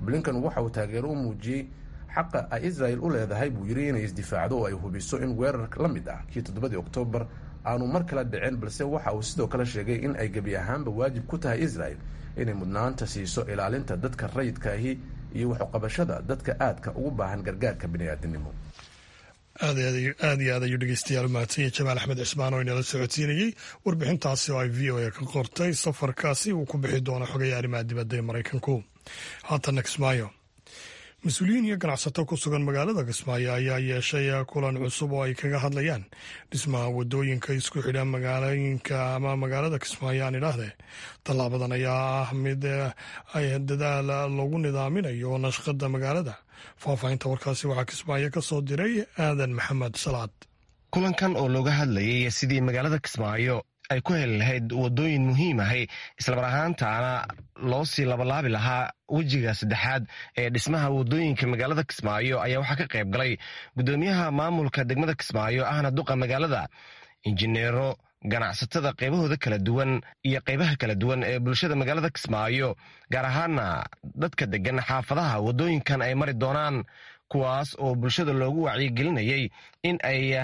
Blinken waxa uu taageero u muujiyey xaqa ay Israel u leedahay, buu yidhi, inay isdifaacdo oo ay hubiso in weerar la mid ah kii toddobadii Oktoobar aanu mar kala dhicin, balse waxa uu sidoo kale sheegay in ay gebi ahaanba waajib ku tahay Israel inay mudnaanta siiso ilaalinta dadka rayidkaahi iyo waxuqabashada dadka aadka ugu baahan gargaarka bini'aadinimo. Aad iyo aad ayuu dhegeystayaal umahadsanya Jamaal Axmed Cismaan oo inala socodsiinayey warbixintaasi oo ay V O A ka qortay safarkaasi uu ku bixi doono xogaya arrimaha dibadda ee Maraykanku. Haatanna Kismaayo. Mas-uuliyiin iyo ganacsato ku sugan magaalada Kismaayo ayaa yeeshay kulan cusub oo ay kaga hadlayaan dhismaha wadooyinka isku xidha magaalooyinka ama magaalada Kismaayo aan idhaahdee. Tallaabadan ayaa ah mid ay dadaal lagu nidaaminayo nashqada magaalada. Faahfaahinta warkaasi waxaa Kismaayo ka soo diray Aadan Maxamed Salaad. Kulankan oo looga hadlayay sidii magaalada Kismaayo ay ku heli lahayd wadooyin muhiim ahay, islamar ahaantaana loo sii labalaabi lahaa wejiga saddexaad ee dhismaha wadooyinka magaalada Kismaayo, ayaa waxaa ka qayb galay guddoomiyaha maamulka degmada Kismaayo ahna duqa magaalada, injineero, ganacsatada qaybahooda kala duwan iyo qaybaha kala duwan ee bulshada magaalada Kismaayo, gaar ahaana dadka degan xaafadaha wadooyinkan ay mari doonaan, kuwaas oo bulshada loogu wacyigelinayay in ay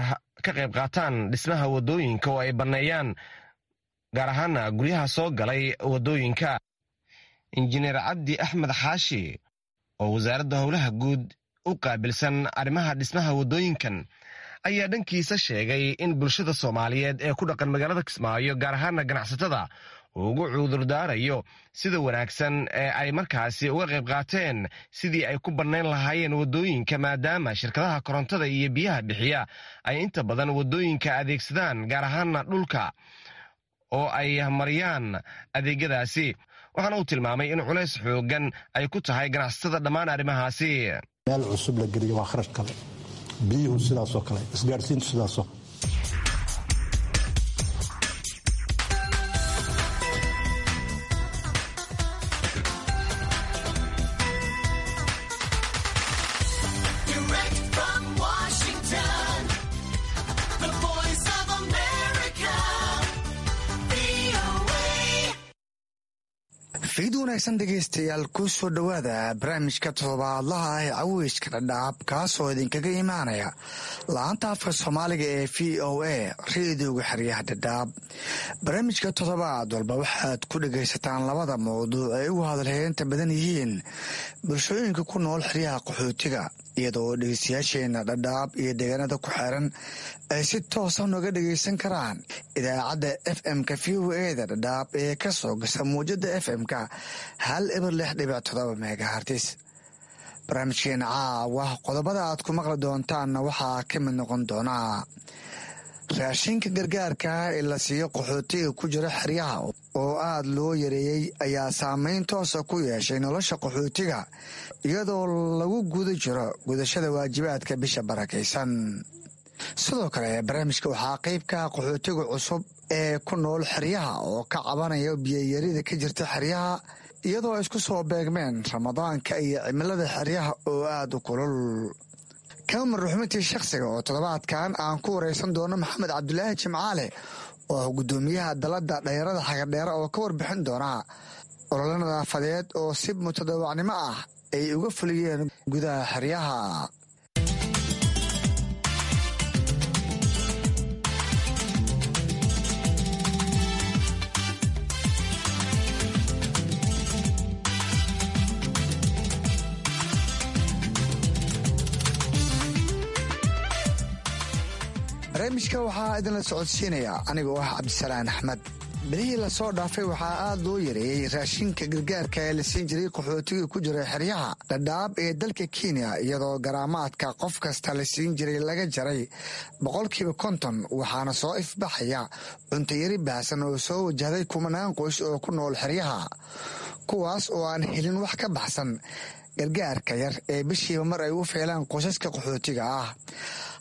ka qayb qaataan dhismaha wadooyinka oo ay banneeyaan, gaar ahaana guryaha soo galay wadooyinka. Injineer Cabdi Axmed Xaashi oo Wasaaradda Howlaha Guud u qaabilsan arrimaha dhismaha wadooyinkan ayaa dhankiisa sheegay in bulshada Soomaaliyeed ee ku dhaqan magaalada Kismaayo, gaar ahaana ganacsatada, uu ugu cudurdaarayo sida wanaagsan ee ay markaasi uga qayb qaateen sidii ay ku bannayn lahaayeen waddooyinka, maadaama shirkadaha korontada iyo biyaha bixiya ay inta badan waddooyinka adeegsadaan, gaar ahaana dhulka oo ay mariyaan adeegyadaasi. Waxaana uu tilmaamay in culays xoogan ay ku tahay ganacsatada dhammaan arrimahaasi. Meel cusub la geliyo waa kharash kale, biyuhu sidaasoo kale, isgaarsiintu sidaasoo. Fiid wanaagsan dhegaystayaal, ku soo dhowaada barnaamijka toddobaadlaha ah ee caweyska Dhadhaab, kaasoo idinkaga imaanaya la-anta afka Soomaaliga ee V O A, reedioga xeryaha Dhadhaab. Barnaamijka toddobaad walba waxaad ku dhagaysataan labada mawduuc ay ugu hadalheynta badan yihiin bulshooyinka ku nool xeryaha qaxootiga, iyadoo dhegeystayaasheena Dhadhaab iyo deegaanada ku xeeran ay si toosa nooga dhegaysan karaan idaacadda F M-ka V O A da Dhadhaab ee ka soo gasa muwjada F M-ka hal eber lix dhibic todoba megahertz. Barnaamijkeena caawa qodobada aad ku maqli doontaanna waxaa ka mid noqon doonaa raashinka gargaarka ee la siiyo qaxootiga ku jira xeryaha oo aad loo yareeyey ayaa saameyn toosa ku yeeshay nolosha qaxootiga, iyadoo lagu guda jiro gudashada waajibaadka bisha barakaysan. Sidoo kale barnaamijka waxaa qeybka qaxootiga cusub ee ku nool xeryaha oo ka cabanaya biyayarida ka jirta xeryaha, iyadoo isku soo beegmeen Ramadaanka iyo cimilada xeryaha oo aada u kulul. Kamar ruxmintii shakhsiga oo toddobaadkan aan ku wareysan doono Maxamed Cabdulaahi Jimcaale oo ah guddoomiyaha dalada dhalinyarada Xagadheere, oo ka warbixin doona ololo nadaafadeed oo si mutadawacnimo ah ay uga fuliyeen gudaha xeryaha. Barnaamijka waxaa idinla socodsiinaya anigoo ah Cabdisalaan Axmed. Bilihii lasoo dhaafay waxaa aad loo yareeyey raashinka gargaarka ee la siin jiray qaxootigii ku jiray xeryaha Dhadhaab ee dalka Kenya, iyadoo garaamaadka qof kasta la siin jiray laga jaray boqolkiiba konton. Waxaana soo ifbaxaya cuntayari baahsan oo soo wajahday kumanaan qoys oo ku nool xeryaha, kuwaas oo aan helin wax ka baxsan gargaarka yar ee bishiiba mar ay u feelaan qoysaska qaxootiga ah.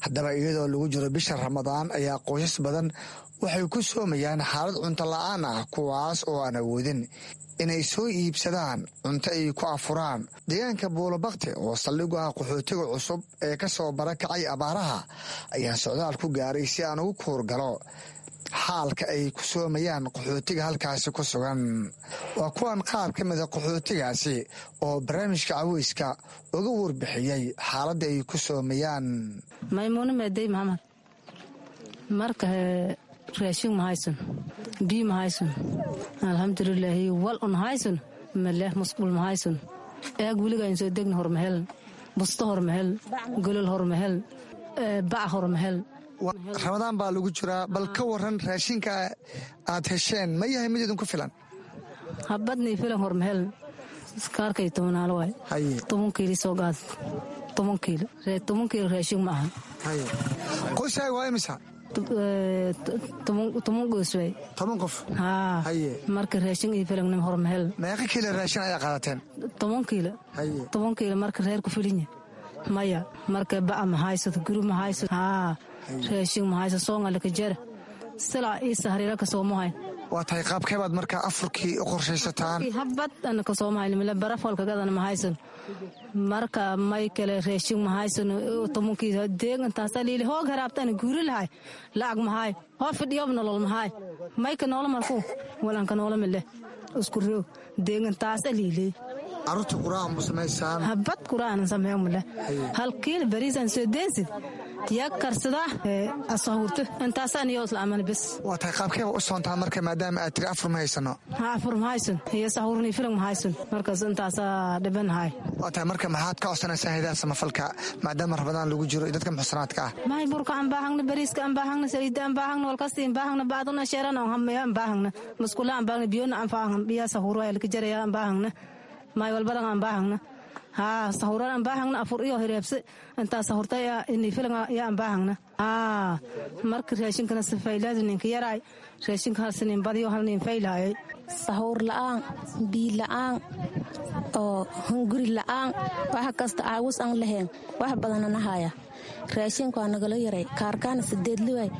Haddaba, iyadoo lagu jiro bisha Ramadaan ayaa qoysas badan waxay ku soomayaan xaalad cunto la-aan ah, kuwaas oo aan awoodin inay soo iibsadaan cunto ay ku afuraan. Deegaanka Buulabakti oo saldhig u ah qaxootiga cusub ee ka soo barakacay abaaraha ayaa socdaal ku gaaray si aan ugu kuurgalo xaalka ay ku soomayaan qaxootiga halkaasi ku sugan. Waa kuwan qaar ka mida qaxootigaasi oo barnaamijka caweyska uga warbixiyey xaaladda ay ku soomayaan. Maymuune Meedey Maxamed. Marka raashin ma haysan, biyo ma haysan, alxamdulilaahi, wal un haysan maleh, musqul ma haysan, eeg weligaan soo degna hormahel, busto hormahel, golol hormahel, bac hormahel. Ramadaan baa lagu jiraa, bal ka waran raashinka aad hesheen, ma yahay mid idinku filan? Habadnii filan hormahel, kaarkay tobanaalo waay, toban kiili soo qaad, toban kiilo, toban kiilo raashin ma aha. Qoyskaaga waa imisa? Toban qoys waay. Toban qof? Haa. Marka raashin ii filan hormahel. Meeqa kiilo raashin ayaa qaadateen? Toban kiilo. Toban kiilo marka reer ku filinya maya. Marka ba'a ma haysato, guri ma haysato, haa, raashin ma haysato, soongalaka jara silaa ii sahriira ka soomahay. Waa tahay, qaabkee baad markaa afurkii u qorshaysataan? Habad ana ka soomahay mila, baraf walkagadana ma haysan. Marka may kale raashin ma haysan, tobankii deeg intaasa liili hoog haraabtana guuri lahay, lacag mahay, hoo fidhiyob nolol mahay, mayka noola markuu walanka noola mile isku roog deeg intaasa liili. Caruurta quraac ma samaysaan? Habad quraacna sameeyo male, hal kiil bariisan soo deensid Yaa karsada asahurta intaasaan iyo isla aman bes. Waa tahay, qaabkeeba u soontaa marka maadaama aad tiri afur ma haysano? Ha, afur ma haysan iyo sahurni filan ma haysan, markaas intaasaa dhibanahay. Waa tahay, marka maxaad ka codsanaysaa hayadaha samafalka maadaama Ramadaan lagu jiro iyo dadka muxsanaadka ah? Mahay, burka aan baahangna, bariiska aan baahangna, saliida aan baahangna, walkasti aan baahangna, bacduna sheeran aan hamaya aan baahangna, musqula aan baahangna, biyona aan baahangna, biyaa sahuro ay laka jaraya aan baahangna, maay walbadan aan baahangna. Haa, sahuran aan baahangna, afur iyo hireebse intaa sahurta ini filan yaa aan baahangna. Haa, marka raashinkana sifaylaadu ninka yaraay, raashinka halsinin badiyo halnin faylaayay. Sahuur la'aan, biyo la'aan oo hunguri la'aan, wax kasta caawis aan lahayn, wax badanana haya. Raashinka waa nagala yaray, kaarkaana sideed liwaay,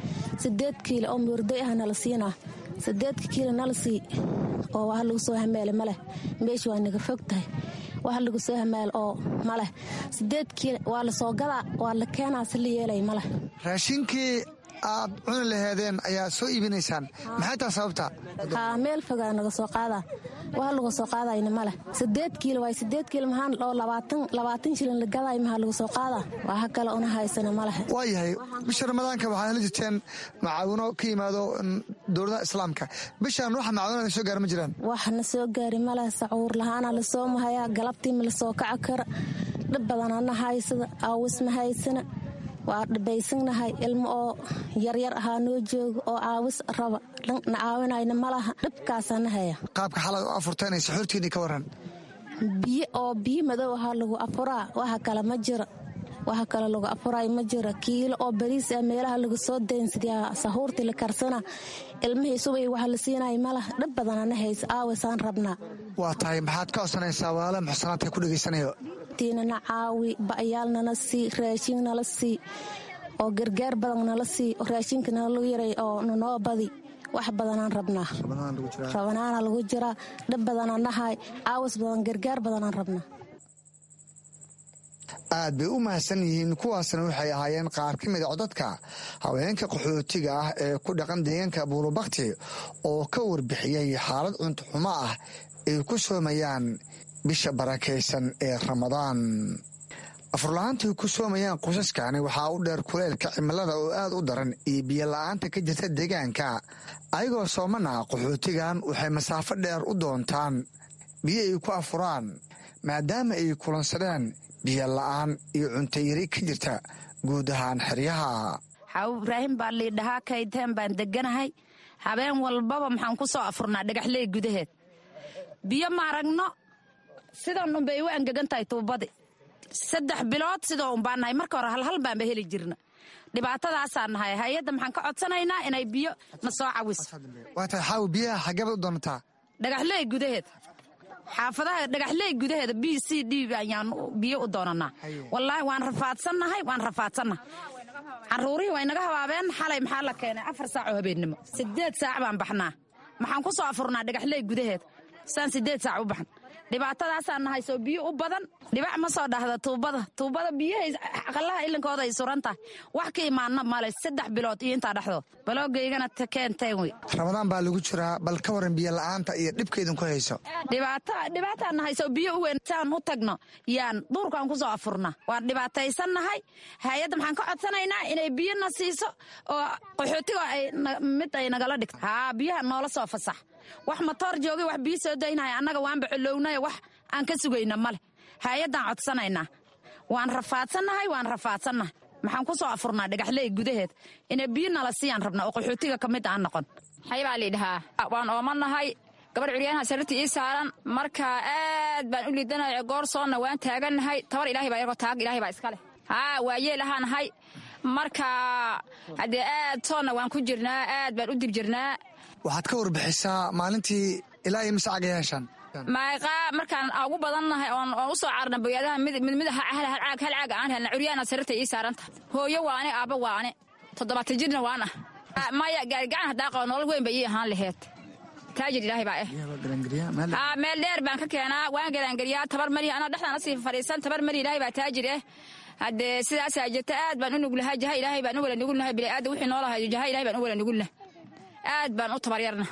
sideed kiilo oo murday ah nala siinaa, sideedka kiilo nala sii oo wax lagu soo hameele maleh. Meesha waa naga fog tahay, wax lagu soo hameel oo maleh. Sideed kiilo waa la soo gadaa, waa la keenaa, si la yeelay maleh. Raashinkii aad cuni laheedeen ayaa soo iibinaysaan, maxay taa sababta? Haa, meel fogaa naga soo qaadaa, wax lagu soo qaadayna maleh. Sideed kiilo waay, sideed kiilo maxaan oo labaatan labaatan shilin la gadaay, maxaa lagu soo qaadaa? Waxa kale una haysana maleh. Waayahay, bisha Ramadaanka waxaad heli jirteen macaawino ka yimaado dowladaha Islaamka. Bishaan waxa macaawinada soo gaara ma jiraan? Wax na soo gaari maleh. Sacuur lahaana la soo mahayaa, galabtii ma la soo kaci kara. Dhib badanana haysada, aawis ma haysana, waa dhibaysanahay. Ilmo oo yaryar ahaa noo jooga oo caawis raba, na caawinayna malaha, dhibkaasana haya. Qaabka xalay u afurteen iyo suxuurtiinii ka waran? Biyo oo biyo madow ahaa lagu afuraa, waxa kale ma jira, waxa kale lagu afuraay ma jira. Kiilo oo bariis ah meelaha lagu soo daynsiyaa, sahuurtii la karsana, ilmihii subay waxa la siinaya malaha. Dhib badanana haysa, aawisaan rabnaa. Waa tahay, maxaad ka codsanaysaa walaalaha muxsanaadka ku dhegaysanayo? Nana caawi, ba'yaal nala sii, raashin nala sii oo gargaar badan nala sii, raashinka nalagu yaray oo nanoo badi. Wax badanaan rabnaa, rabanaana lagu jiraa, dhib badanaan nahay, caawis badan, gargaar badanaan rabnaa. Aad bay u mahadsan yihiin. Kuwaasna waxay ahaayeen qaar ka mid a codadka haweenka qaxootiga ah ee ku dhaqan deegaanka Buulubakti oo ka warbixiyey xaalad cunto xumo ah ay ku soomayaan bisha barakaysan ee Ramadaan. Afurla-aantai ku soomayaan qoysaskani waxaa u dheer kuleylka cimilada oo aad u daran iyo biyo la-aanta ka jirta deegaanka. Ayagoo soomana, qaxootigan waxay masaafo dheer u doontaan biyo ay ku afuraan maadaama ay kulansadeen biyo la-aan iyo cuntayari ka jirta guud ahaan xeryaha. Xaawo Ibraahim baa liidhahaa, kayteen baan deganahay. Habeen walbaba maxaan ku soo afurnaa dhagaxley gudaheed. Biyo ma aragno, sidan unbay u angegan tahay tuubadi. Saddex bilood sidoo unbaa nahay, marka hore halhal baanba heli jirna. Dhibaatadaasaa nahay. Hay-adda maxaan ka codsanaynaa inay biyo na soo cawiso. Waa tahay Xaawi, biyaha xaggeebaad u doonataa? Dhagaxley gudaheed, xaafadaha dhagaxley gudaheeda b c d ayaan biyo u doonanaa. Wallaahi waan rafaadsannahay, waan rafaadsannahay. Caruurihii way naga habaabeen. Xalay maxaa la keenay afar saac oo habeennimo. Sideed saac baan baxnaa, maxaan ku soo afurnaa dhagaxley gudaheed saan sideed saac u baxan. Dhibaatadaasaa nahay, soo biyo u badan dhibac ma soo dhahda tuubada. Tuubada biyahay aqalaha ilinkooda ay suran tahay, wax ka imaana male saddex bilood iyo intaa dhexdood baloogaygana keenteen wey. Ramadaan baa lagu jiraa, bal ka waran biyo la-aanta iyo dhibka idinku hayso? Dhibaato, dhibaataa nahay, soo biyo u weyn saan u tagno yaan duurkaan ku soo afurna. Waan dhibaataysannahay. Hay-adda maxaan ka codsanaynaa inay biyo na siiso oo qaxootiga ay mid ay nagala dhigto. Haa, biyaha noola soo fasax. Wax matoor joogay, wax biyo soo daynaya, annaga waanba colownayo, wax aan ka sugayna male. Hay-addaan codsanaynaa. Waan rafaadsannahay, waan rafaadsannahay. Maxaan ku soo afurnaa dhagaxley gudaheed, inay biyo nala siiyaan rabnaa oo qaxootiga ka mid aan noqon. Xay baa liidhahaa, waan oomanahay. Gabar curyaanaha sariirta ii saaran, marka aad baan u liidanahay. Goor soonna waan taagannahay. Tabar Ilaahay baa yargo, taag Ilaahay baa iska leh. Haa, waayeel ahaa nahay, marka haddee aad soonna waan ku jirnaa, aad baan u dib jirnaa. Waxaad ka warbixisaa maalintii ilaa iyo mise cagay heshaan? Maayqaa markaan ugu badannahay oon oon u soo carna boyaadaha mid mid mid hal hal caag hal caag aan helna. Curyaana sariirta ii saaran tahay, hooyo waane, aabba waane, toddobaatan jirna waan ah. Maya, gaarigacan haddaa qabo nolol weyn bay ii ahaan laheed. Taajir Ilaahay baa eh. Haa, meel dheer baan ka keenaa, waan garaangeliyaa. Tabar malihi, anaa dhexdaan asii fadhiisan, tabar malihi. Ilaahay baa taajir eh. Haddee sidaasaa jirta, aad baan u nuglahay, jaha Ilaahay baan u wala nugulnahay. Bini'aadam wixii noolahay jaha Ilaahay baan u wala nugulnahay, aad baan u tabaryarna.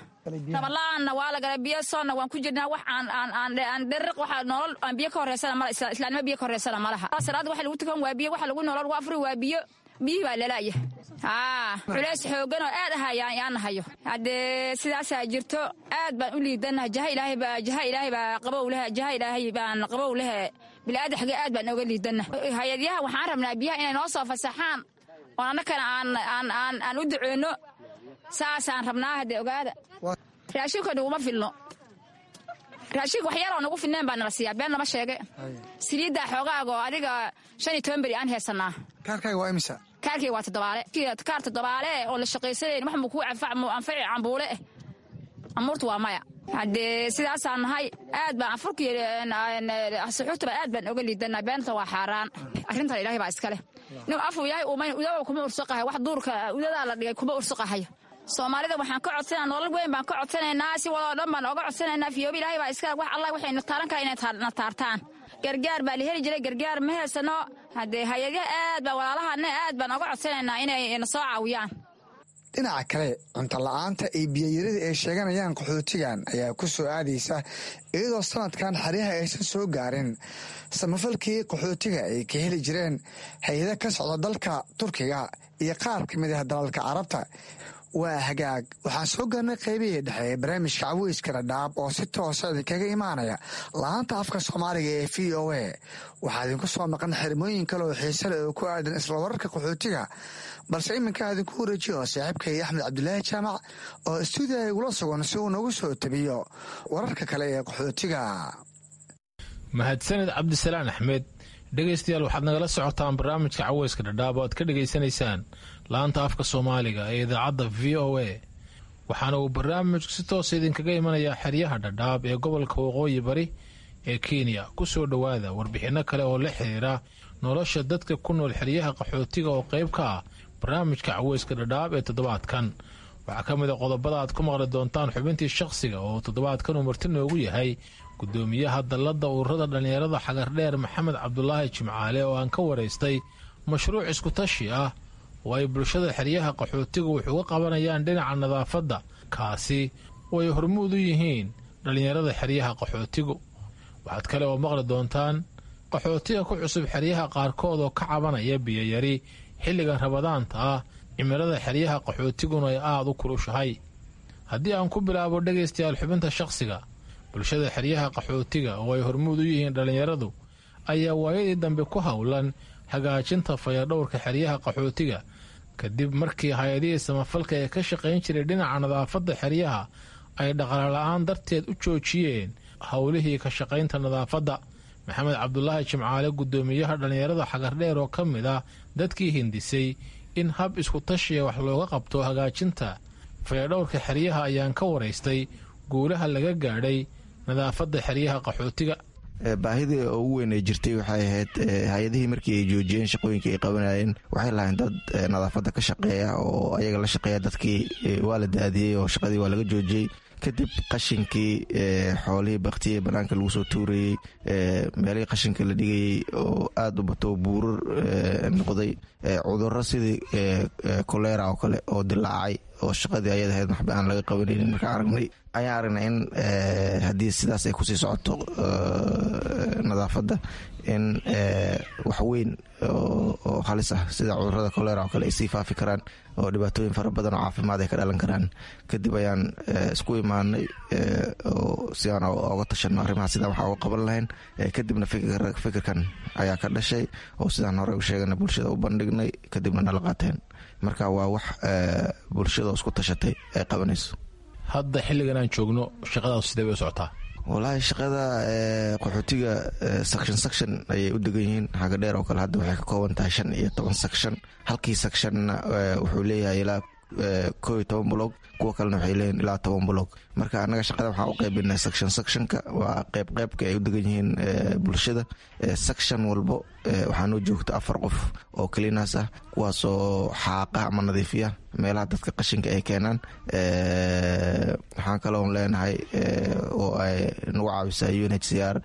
Tabarla'aanna waa la galay, biyo soonna waan ku jirnaa. Wax aan aan aan aan dheriq waxa nolol aan biyo ka horeysana mala, islaamnimo biyo ka horeysana malaha. Salaada waxa lagu tukan waa biyo, waxa lagu nolol waa afuri waa biyo, Biyihii baa lalaaya. Haa, culays xooggan oo aad ah ayaan nahayo. Haddee sidaasaa jirto, aad baan u liidannahay. Jaha ilaahay baa, jaha ilaahay baa qabow leh, jaha ilaahay baan qabow leh. Bilaadan aad baan oga liidannahay. Hay-adyaha waxaan rabnaa biyaha inay noo soo fasaxaan oon annakana aan aan aan aan u duceyno, saasaan rabnaa. Haddee ogaada, raashinka naguma filno. Raashinka wax yaroo nagu filneen baa nala siiyaa, been lama sheege. Saliiddaa xoogaaga oo adiga shan iyo toban beri aan heesanaa. Kaarkaaga waa imisa? Kaarkayga waa toddobaale. Kaar toddobaale oo la shaqaysanayn wax muu kuu anfac, muu anfaci cambuule eh. Amuurtu waa maya. Haddee sidaasaan nahay, aad baan afurkii suxuurtaba aad baan oga liidanaa. Beenta waa xaaraan, arrintan ilaahay baa iska leh. Nin afuu yahay uumayn udaba kuma ursuqahay, wax duurka udadaa la dhigay kuma ursuqahayo. Soomaalida waxaan ka codsanaa, nolol weyn baan ka codsanaynaa, si wadoo dhan baan oga codsanaynaa. Fiyoobi ilaahay baa iska wax allah waxayna taaran kara inay na taartaan. Gargaar baa la heli jiray, gargaar ma heysano. Haddee hay-adyaha aad baa walaalahana aad baan oga codsanaynaa inay na soo caawiyaan. Dhinaca kale, cunto la-aanta iyo biyayarida ay sheeganayaan qaxootigan ayaa ku soo aadaysa iyadoo sanadkan xeryaha aysan soo gaarin samafalkii qaxootiga ay ka heli jireen hay-ada ka socda dalka Turkiga iyo qaar ka mid ah dalalka Carabta. Waa hagaag, waxaan soo gaarnay qaybihii dhexe ee barnaamijka Caweyska Dhadhaab oo si toosa idinkaga imaanaya laanta afka Soomaaliga ee V O A. Waxaa idinku soo maqan xirmooyin kale oo xiise leh oo ku aadan isla wararka qaxootiga, balse iminka idinku wareejiyo saaxiibkay Axmed Cabdulaahi Jaamac oo istuudiyaha igula sugan si uu noogu soo tabiyo wararka kale ee qaxootiga. Mahadsaned, Cabdisalaan Axmed. Dhegaystayaal, waxaad nagala socotaan barnaamijka Caweyska Dhadhaab oo aad ka dhegaysanaysaan laanta afka Soomaaliga ee idaacadda V O A. Waxaana uu barnaamijku si toosa idinkaga imanayaa xeryaha Dhadhaab ee gobolka Waqooyi Bari ee Kenya. Ku soo dhowaada warbixinno kale oo la xiriira nolosha dadka ku nool xeryaha qaxootiga oo qayb ka ah barnaamijka Caweyska Dhadhaab ee toddobaadkan. Waxaa ka mid a qodobada aad ku maqli doontaan xubintii shakhsiga oo toddobaadkan uu marti noogu yahay gudoomiyaha dalladda ururada dhallinyarada Xagardheer, Maxamed Cabdulaahi Jimcaale, oo aan ka waraystay mashruuc iskutashi ah oo ay bulshada xeryaha qaxootigu wax uga qabanayaan dhinaca nadaafadda, kaasi oo ay hormuud u yihiin dhallinyarada xeryaha qaxootigu. Waxaad kale oo maqli doontaan qaxootiga ku cusub xeryaha qaarkood oo ka cabanaya biyoyari xilligan Ramadaanta ah, cimilada xeryaha qaxootiguna ay aada u kulushahay. Haddii aan ku bilaabo, dhegaystayaal, xubinta shakhsiga, bulshada xeryaha qaxootiga oo ay hormuud u yihiin dhallinyaradu ayaa waayadii dambe ku howlan hagaajinta fayadhowrka xeryaha qaxootiga, kadib markii hay-adihii samafalka ee ka shaqayn jiray dhinaca nadaafadda xeryaha ay dhaqaale la'aan darteed u joojiyeen howlihii ka shaqaynta nadaafadda. Maxamed Cabdulaahi Jimcaale, guddoomiyaha dhallinyarada Xagardheer oo ka mid ah dadkii hindisay in hab isku tashiya wax looga qabto hagaajinta fayadhowrka xeryaha, ayaan ka waraystay guulaha laga gaadhay nadaafadda xeryaha qaxootiga. Baahidii ugu weyn ay jirtay waxay ahayd hay-adihii markii ay joojiyeen shaqooyinkii ay qabanayeen, waxay lahayn dad nadaafadda ka shaqeeya oo ayaga la shaqeeya. Dadkii waa la daadiyey oo shaqadii waa laga joojiyey. Kadib qashinkii xoolihii baktiyey banaanka lagu soo tuurayey, meelihii qashinka la dhigayey oo aada u bato, buurar noqday, cudurro sidii kolera oo kale oo dilaacay oo shaqadii ayada ahayd waxba aan laga qabanaynin markaan aragnay, ayaan aragnay in haddii sidaas ay kusii socoto nadaafadda in wax weyn oo halis ah sida cudurada kolera oo kale ay sii faafi karaan oo dhibaatooyin fara badan oo caafimaad ay ka dhalan karaan. Kadib ayaan isku imaanay oo si aan oga tashano arrimaha sidaan waxa uga qaban lahayn. Kadibna fikirkan ayaa ka dhashay oo sidaan hore u sheegana bulshada u bandhignay, kadibna nala qaateen. Marka waa wax bulshada isku tashatay ay qabanayso. Hadda xilligan aan joogno shaqadaas sidee bay u socotaa? Wallaahi, shaqada qaxootiga section section ayay u degan yihiin. Xaga Dheer oo kale hadda waxay ka kooban tahay shan iyo toban section. Halkii sectionna wuxuu leeyahay ilaa koo iyo toban block, kuwa kalena waxay leeyihin ilaa toban block. Marka annaga shaqada waxaan u qaybinay section sectionka, waa qeyb qeybka ay u degan yihiin bulshada. Section walbo waxaa noo joogta afar qof oo cleaners ah, kuwaasoo xaaqa ama nadiifiya meelaha dadka qashinka ay keenaan. Waxaan kaloon leenahay oo ay nagu caawisaa U N H C R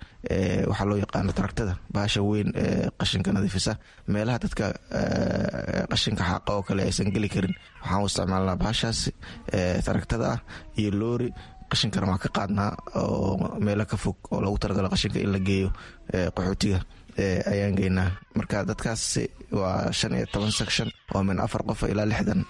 waxaa loo yaqaano taragtada, bahasha weyn ee qashinka nadiifisa. Meelaha dadka qashinka xaaqa oo kale aysan geli karin waxaan u isticmaalnaa bahashaasi taragtada ah iyo loori. Qashinkana waan ka qaadnaa oo meelo ka fog oo loogu talagalo qashinka in la geeyo qaxootiga ayaan geynaa. Marka dadkaas waa shan iyo toban section oo min afar qof ilaa lixdan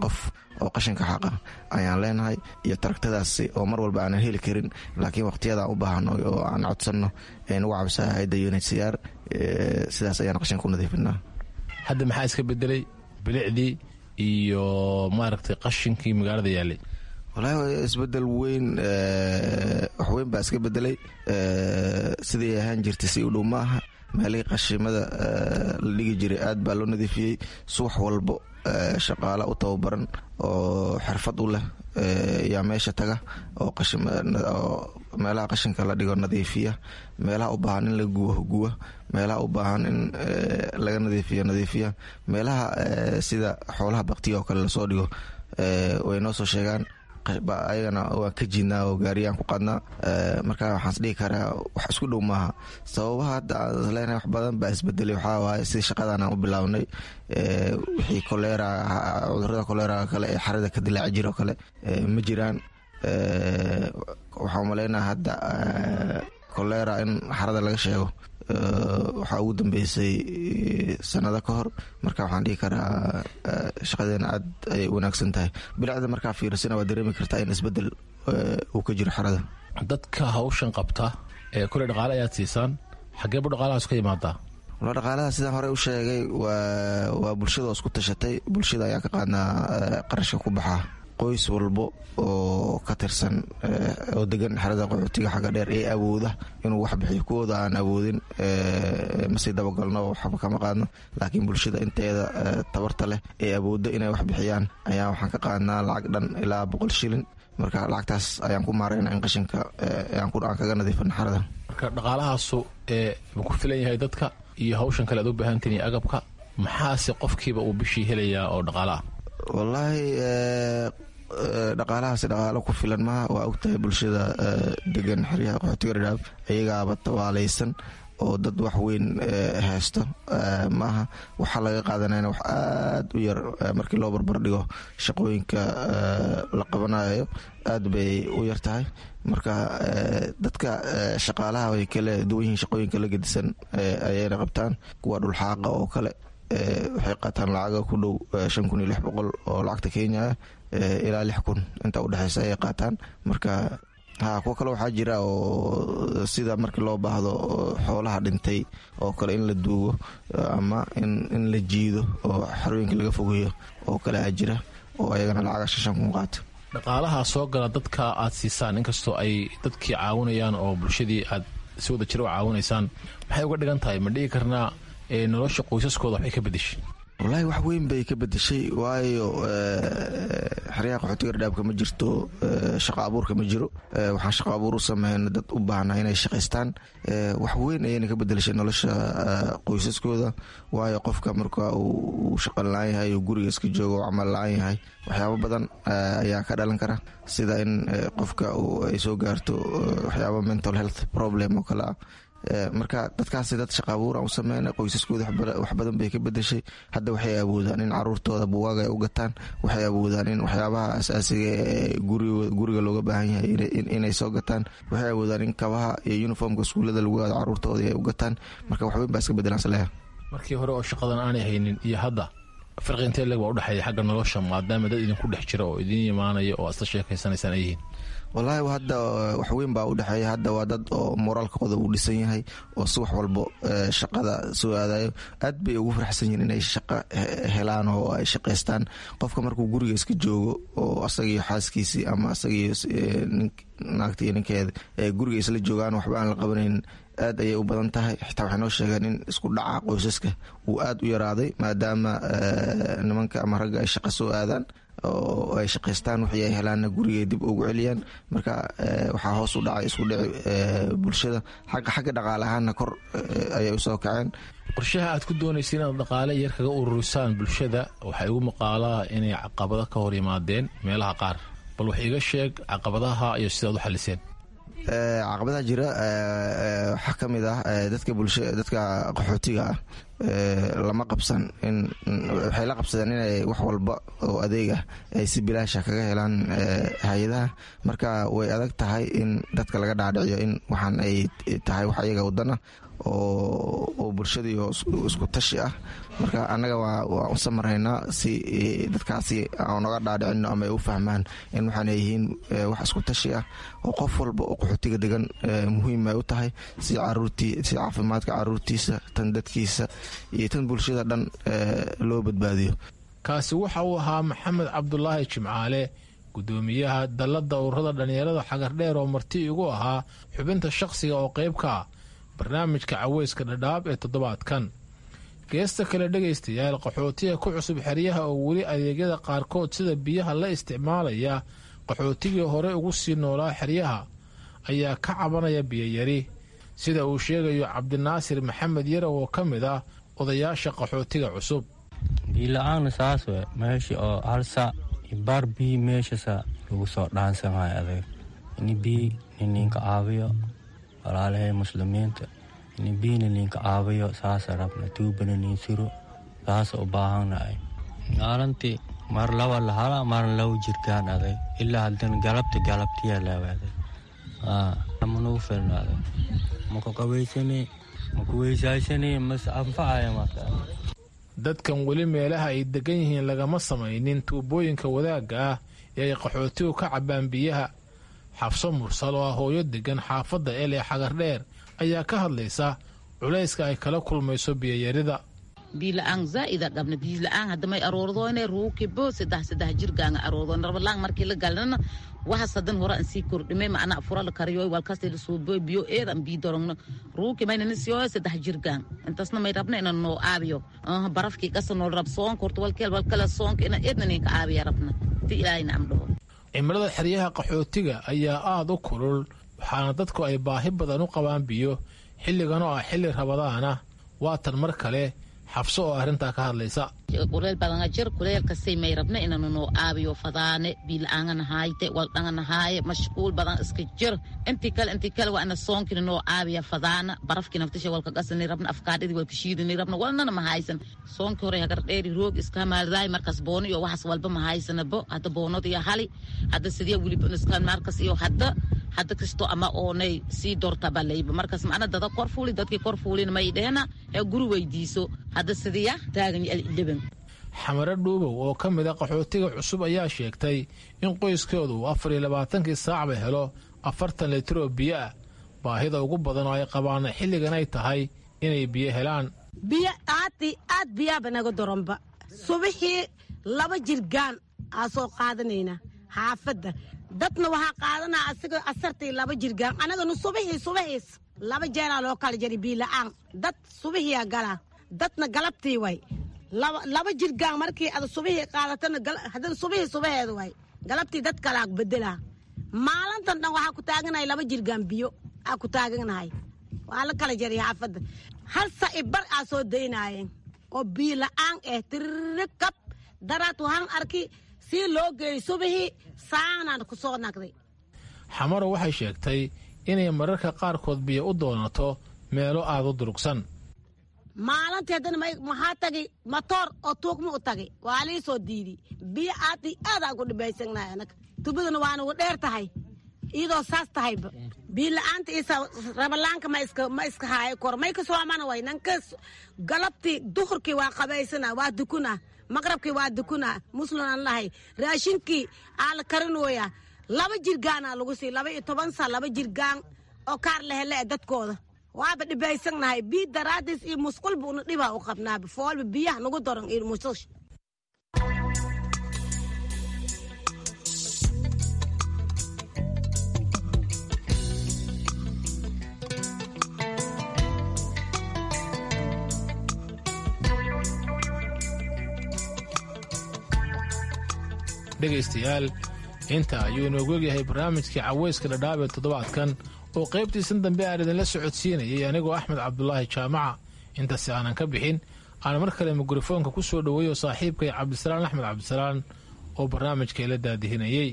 qof oo qashinka xaqa ayaan leenahay, iyo taragtadaasi oo mar walba aanan heli karin, laakiin waqtiyadaan u baahano oo aan codsanno ee nagu caawisaa hayadda U N H C R. Sidaas ayaan qashinka ku nadiifinaa. Hadda maxaa iska bedelay bilicdii iyo maaragtay qashinkii magaalada yaalay? Wallaahi isbedel weyn, wax weyn baa iska bedelay. Sidii ahaan jirtay si u dhow ma aha. Meelihii qashimada la dhigi jiray aad baa loo nadiifiyey. Subax walbo shaqaale u tababaran oo xirfad u leh yaa meesha taga oo meelaha qashinka la dhigo nadiifiya, meelaha u baahan in la gubo guba, meelaha u baahan in laga nadiifiyo nadiifiya, meelaha sida xoolaha baktiga oo kale lasoo dhigo way noo soo sheegaan, ayagana waan ka jiidnaa oo gaariyaan ku qaadnaa. Marka waxaan isdhihi karaa wax isku dhow maaha. Sababaha hadda aan leenahay wax badan baa isbedelay waxaa waaye sidii shaqadan aan u bilownay, wixii kolera, cudurada koleraga kale ee xarada ka dilaaci jira oo kale ma jiraan. Waxaan umaleynaa hadda kolera in xarada laga sheego waxaa ugu dambeysay sanado ka hor. Marka waxaan dhihi karaa shaqadeena aad ayay wanaagsan tahay. Bilicda markaa fiirisana waa dareemi kartaa in isbedel uu ka jiro xarada. Dadka hawshan qabta ee kule dhaqaale ayaad siisaan, xagee bu dhaqaalahaas ka imaadaa? Wala dhaqaalaha sidaan horey u sheegay waa bulshada oo isku tashatay. Bulshada ayaa ka qaadnaa qarashka ku baxaa. Qoys walbo oo ka tirsan oo degan xerada qaxootiga xagga dheer ee awooda inuu wax bixiyo, kuwooda aan awoodin masii dabagalno, waxba kama qaadno. Laakiin bulshada inteeda tabarta leh ee awoodda inay wax bixiyaan ayaa waxaan ka qaadnaa lacag dhan ilaa boqol shilin. Marka lacagtaas ayaan ku maarayna in qashinka aan kaga nadiifino xerada. Marka dhaqaalahaasu ma ku filan yahay dadka iyo hawshan kale aad u baahantiin iyo agabka? Maxaase qofkiiba uu bishii helayaa oo dhaqaale ah? Wallaahi dhaqaalahaasi dhaqaalo ku filan maha. Waa ogtahay bulshada degan xeryaha qaxootiga Dhadhaab iyagaaba tabaalaysan oo dad wax weyn haysto maaha. Waxaa laga qaadanayna wax aad u yar markii loo barbar dhigo shaqooyinka la qabanayo, aad bay u yar tahay. Marka dadka shaqaalaha way kala duwan yihiin, shaqooyinka la gedisan ayayna qabtaan. Kuwa dhulxaaqa oo kale waxay qaataan lacaga ku dhow shan kun iyo lix boqol oo lacagta Kenya ah ilaa lix kun inta udhexeysa ayay qaataan. Marka ha kuwo kale waxaa jira oo sida markii loo baahdo xoolaha dhintay oo kale in la duugo ama in la jiido oo xarooyinka laga fogeeyo oo kale aa jira oo ayagana lacaga shan kun qaato. Dhaqaalaha soo gala dadka aad siisaan, inkastoo ay dadkii caawinayaan oo bulshadii aad si wada jira u caawinaysaan, maxay uga dhigan tahay? Ma dhigi karnaa nolosha qoysaskooda waxbay ka bedeshay? Wallaahi wax weyn bay ka bedeshay, waayo xeryaha qaxootiga Dhadhaabka ma jirto shaqo abuurka ma jiro. Waxaan shaqo abuur u sameyna dad u baahnaa inay shaqaystaan. Wax weyn ayayna ka bedelashay nolosha qoysaskooda, waayo qofka marka uu shaqo la-aan yahay uu guriga iska joogo oo camal la-aan yahay, waxyaabo badan ayaa ka dhalan kara, sida in qofka ay soo gaarto waxyaabo mental health problem oo kale ah. Marka dadkaasi dad shaqa abuur aan u sameyna, qoysaskooda wax badan bay ka bedeshay. Hadda waxay awoodaan in caruurtooda buugaag ay u gataan, waxay awoodaan in waxyaabaha asaasiga ee guriga looga baahan yahay inay soo gataan, waxay awoodaan in kabaha iyo uniformka iskuullada lagu aado caruurtooda ay u gataan. Marka waxweyn baa iska bedelaan saleeya. Markii hore oo shaqadan aanay haynin iyo hadda farqi intee leeg baa udhexeeya xagga nolosha, maadaama dad idinku dhex jira oo idin imaanaya oo aad isla sheekaysanaysaan ay yihiin? Wallaahi hadda wax weyn baa udhexeeya. Hadda waa dad oo moraalkooda uu dhisan yahay oo subax walbo shaqada soo aadayo. Aad bay ugu faraxsan yihiin inay shaqo helaan oo ay shaqaystaan. Qofka markuu guriga iska joogo oo asagiyo xaaskiisii ama asagiyo naagta iyo ninkeeda guriga isla joogaan, waxba aan la qabanayn, aad ayay u badan tahay. Xitaa waxay noo sheegeen in isku dhaca qoysaska uu aad u yaraaday, maadaama nimanka ama ragga ay shaqo soo aadaan oo ay shaqaystaan, wixii ay helaanna gurigay dib ugu celiyaan. Marka waxaa hoos u dhacay isku dhici bulshada. Xagga dhaqaale ahaanna kor ayay usoo kaceen. Qorshaha aad ku doonaysa inaad dhaqaale yar kaga ururisaan bulshada waxaa igu maqaalaa inay caqabado ka hor yimaadeen meelaha qaar. Bal wax iiga sheeg caqabadaha iyo sidaad u xaliseen. Caqabadaha jira waxaa ka mid ah dadka bulsha dadka qaxootiga ah lama qabsan in waxay la qabsadeen inay wax walba oo adeeg ah ay si bilaasha kaga helaan hay-adaha. Marka way adag tahay in dadka laga dhaadhiciyo in waxaan ay tahay wax ayaga wadana oo bulshadii isku tashi ah. Marka annaga waan u samaraynaa si dadkaasi aan oga dhaadhicino ama ay u fahmaan in waxaan ay yihiin wax isku tashi ah oo qof walba oo qaxootiga degan muhiim ay u tahay, si caruurtii, si caafimaadka caruurtiisa, tan dadkiisa iyo tan bulshada dhan loo badbaadiyo. Kaasi waxa uu ahaa Maxamed Cabdulaahi Jimcaale, guddoomiyaha dalladda ururada dhallinyarada Xagardheer, oo marti igu ahaa xubinta shakhsiga oo qayb ka ah barnaamijka Caweyska Dhadhaab ee toddobaadkan. Geesta kale, dhegaystayaal, qaxootiga ku cusub xeryaha oo weli adeegyada qaarkood sida biyaha la isticmaalaya qaxootigii hore ugu sii noolaa xeryaha ayaa ka cabanaya biyoyari, sida uu sheegayo Cabdinaasir Maxamed Yarow oo ka mid ah odayaasha qaxootiga cusub. Biyo-la-aana saas we, meesha oo hal saac baar biyo meeshasa lagu soo dhaansamayo adag. Ini biyo nininka caawiyo, walaalahay muslimiinta, ini biyo nininka caawiyo saasa rabna, tuubana nin suro saasa u baahannahay. Maalintii mar laba lahala, marna laba jirkaan adag, ilaa haddana galabta galabtiyaa laawaday manugu filno adag, maku qabaysani, maku weysaysani, mas anfacaya marka. Dadkan weli meelaha ay degan yihiin lagama samaynin tuubooyinka wadaagga ah ee ay qaxootigu ka cabbaan biyaha. Xafso Mursal oo ah hooyo degan xaafadda El ee Xagardheer ayaa ka hadlaysa culayska ay kala kulmayso biyoyarida. Biila-aan zaa'ida qabna, biila-aan hadda may aroordoone ruukibo saddex saddex jirgaanga aroordoone rabalaan. Markii la galnana waxaas hadan hore aan sii kordhimay, macna fura la kariyo walkasta la suubo biyo eedan bii dorongno ruuki maynana siyo saddex jirgaan. Intaasna may rabna inaan noo aabiyo barafkii qasa nool rab soonka horta walkeel walkala soonka ina eedna ninka aabiya rabna ti Ilaahayna am dhaho. Cimilada xeryaha qaxootiga ayaa aada u kulul, waxaana dadku ay baahi badan u qabaan biyo xilligan oo ah xilli rabadaana. Waatan mar kale Xafso oo arrintaa ka hadlaysa. Kuleel badanga jir, kuleelkasay may rabna inanu noo aabiyo fadaane. Biila-aangana haayte, waldhangana haaye, mashquul badan iska jir. Intii kale intii kale waa ina soonkina noo aabiya fadaana, barafkii naftasha walka qasani rabna, afkaadhidi walka shiidani rabna, walnana ma haysan. Soonkii hore Hagar Dheeri roog iska maaldaay, markaas boono iyo waxaas walba ma haysanabo. Hadda boonada iyo hali hadda sidee weliba iska markas iyo hadda hadda kasto ama oonay sii doorta balayba markaas macna dada kor fuuli, dadkii kor fuulina may dhehna ee guri weydiiso hadda sidiya taagan dhiban. Xamare Dhuubow oo ka mid a qaxootiga cusub ayaa sheegtay in qoyskoodu uu afar iyo labaatankii saacba helo afartan litir oo biyo ah, baahida ugu badan oo ay qabaana xilligan ay tahay inay biyo helaan. Biyo aad aad biyaaba naga daranba. Subaxii laba jirgaan aa soo qaadanayna xaafadda, dadna waxaa qaadanaa asiga asartii laba jirgaan, anagana subaxii subaxiis laba jeeraa loo kala jari. Biyo la-aan dad subaxiyaa galaa, dadna galabtii way laba jirgaan. Markii ada subixii qaadatana, haddana subixii subaxeeda way galabtii dad kalaa bedelaa. Maalintan dhan waxaa ku taaganahay laba jirgaan biyo aa ku taaganahay. Waa la kala jaray xaafadda, hal saci bar aa soo daynaayeen oo biyo la-aan eh tirikab daraad. Waxaan arki sii loo geeyey subixii saanaan ku soo nagday. Xamaro waxay sheegtay inay mararka qaarkood biyo u doonato meelo aada u durugsan. Maalintii haddana maxaa tagay matoor oo tuugma u tagay, waa lii soo diiday. Biyo aad iyo aad aan ku dhibaysanahay anaga, tubadana waa nagu dheer tahay. Iyadoo saas tahayba biyo la-aanta isa rabalaanka ma iska ma iska haayo kor may kasoo amana way nanka. Galabtii duhurkii waa qabaysana, waa dukuna, maqrabkii waa dukuna, muslim aan lahay. Raashinkii aa la karinooya laba jirgaanaa lagu sii laba iyo toban saa laba jirgaan oo kaar lahele e dadkooda. Waaba dhibaysannahay biyo daraadiis iyo musqulba una dhibaa u qabnaaba foolba biyaha nagu daran iyo musqusha. Dhegaystayaal, inta ayuu inoogu egyahay barnaamijkii Caweyska Dhadhaab ee toddobaadkan oo qaybtiisan dambe aan idinla socodsiinayay anigoo Axmed Cabdulaahi Jaamaca. Intaasi aanan ka bixin, aan mar kale mikrofoonka ku soo dhoweeyo saaxiibkay Cabdisalaan Axmed Cabdisalaan oo barnaamijka ila daadihinayey.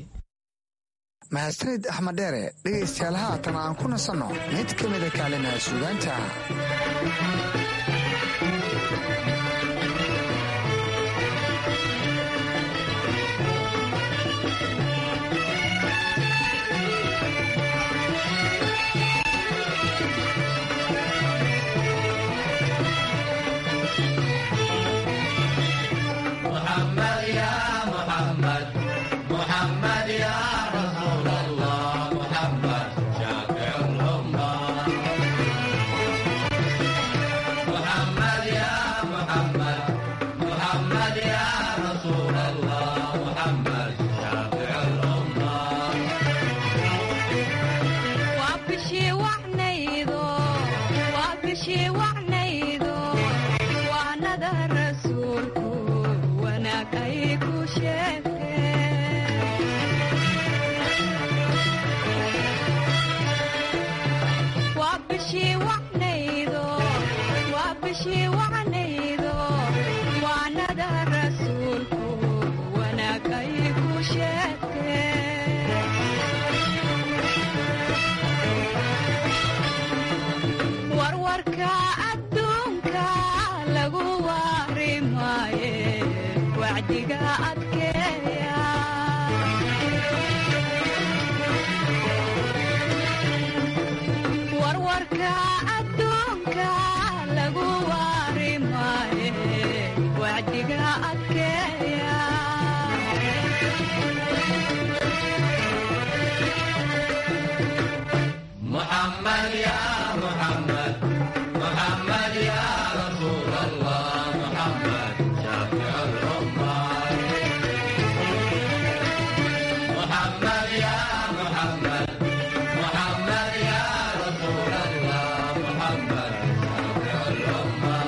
Mahadsanid Axmed Dheere. Dhegaystayaal, haatan aan ku nasanno mid ka mida kaalimaha suugaanta. محمد يا محمد، محمد يا رسول الله، محمد شافع الأمة. محمد يا محمد، محمد يا رسول الله، محمد شافع الأمة. وابشي وعنيدو، وابشي وعنيدو، وعنada rasuulku wanaag ay ku sheegteen. Waa bishii wacnaydo, waa bishii wacnaydo, waanada rasuulku wanaag ay ku sheegteen. Warwarka adduunka lagu waari maaye, wacdiga adkeeya. Warwarka adduunka lagu waari maaye, wacdiga adkeeya. محمد يا محمد، محمد يا رسول الله، محمد شافع الأمة. محمد يا محمد، محمد يا رسول الله، محمد شافع الأمة.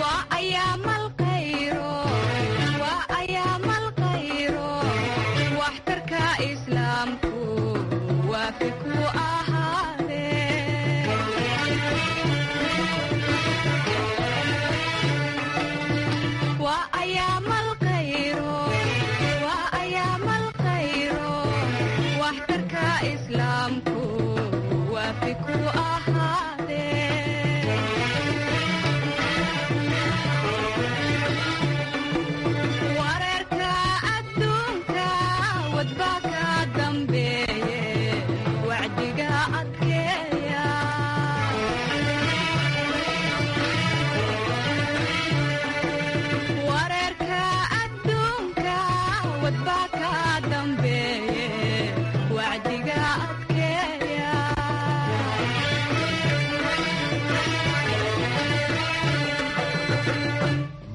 Waa ayaam alkhayro, waa ayaam alkhayro, waxtarka islaamku waafi ku ahaadee. Waa ayaam alkhayro, waa ayaam alkhayro, waxtarka islaamku waafi ku ahaadee. Wareerka adduunka wadba ka dambeeye, wacdiga adkeeya. Wareerka adduunka wadba ka dambeeye, wacdiga adkeeya.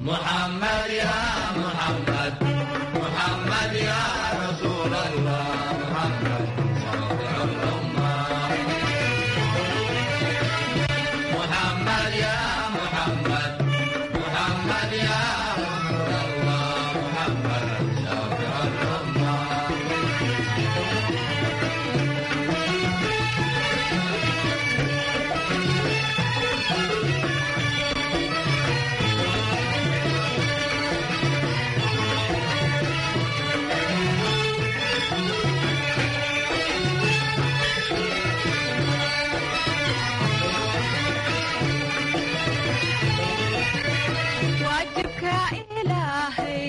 محمد يا محمد، محمد يا رسول الله، محمد شافع الأمة. محمد يا محمد، محمد يا رسول الله، محمد شافع الأمة. Waajibka ilaahay,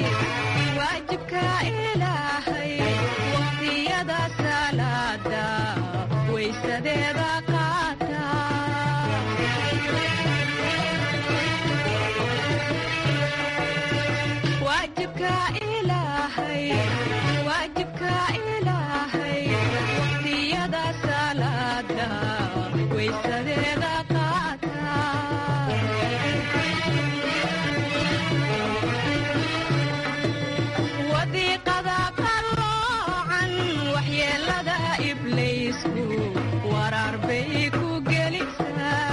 waajibka ilaahay, waqtiyada salaada waysadeeda qaata. Waajibka ilaahay, waajibka ilaahay, waqtiyada salaada waysadeeda qaata. Wadiiqada qalloocan waxyeelada ibliisku waraar bay ku gelisaa.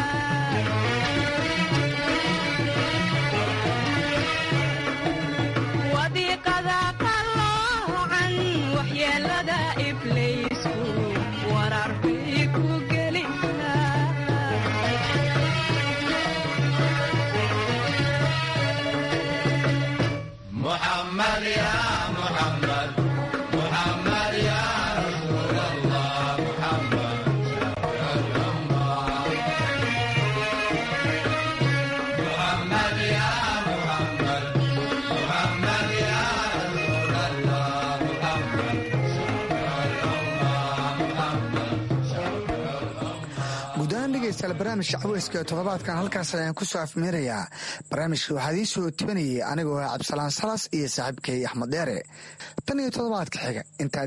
Waxyeelada ibliisku warar bay ku gelisaa. محمد يا محمد، محمد يا رسول الله، محمد شافع الأمة. محمد يا محمد، محمد يا رسول الله، محمد شافع الأمة، محمد شافع Guud ahaan dhegeystayaal, barnaamijka caweyska ee toddobaadkan halkaas ayaan ku soo afmeerayaa. Barnaamijka waxaa idiin soo tibanayay anigoo ah Cabdisalaan Salas iyo saaxiibkay Axmed Dheere. Tan iyo toddobaadka xiga intaa.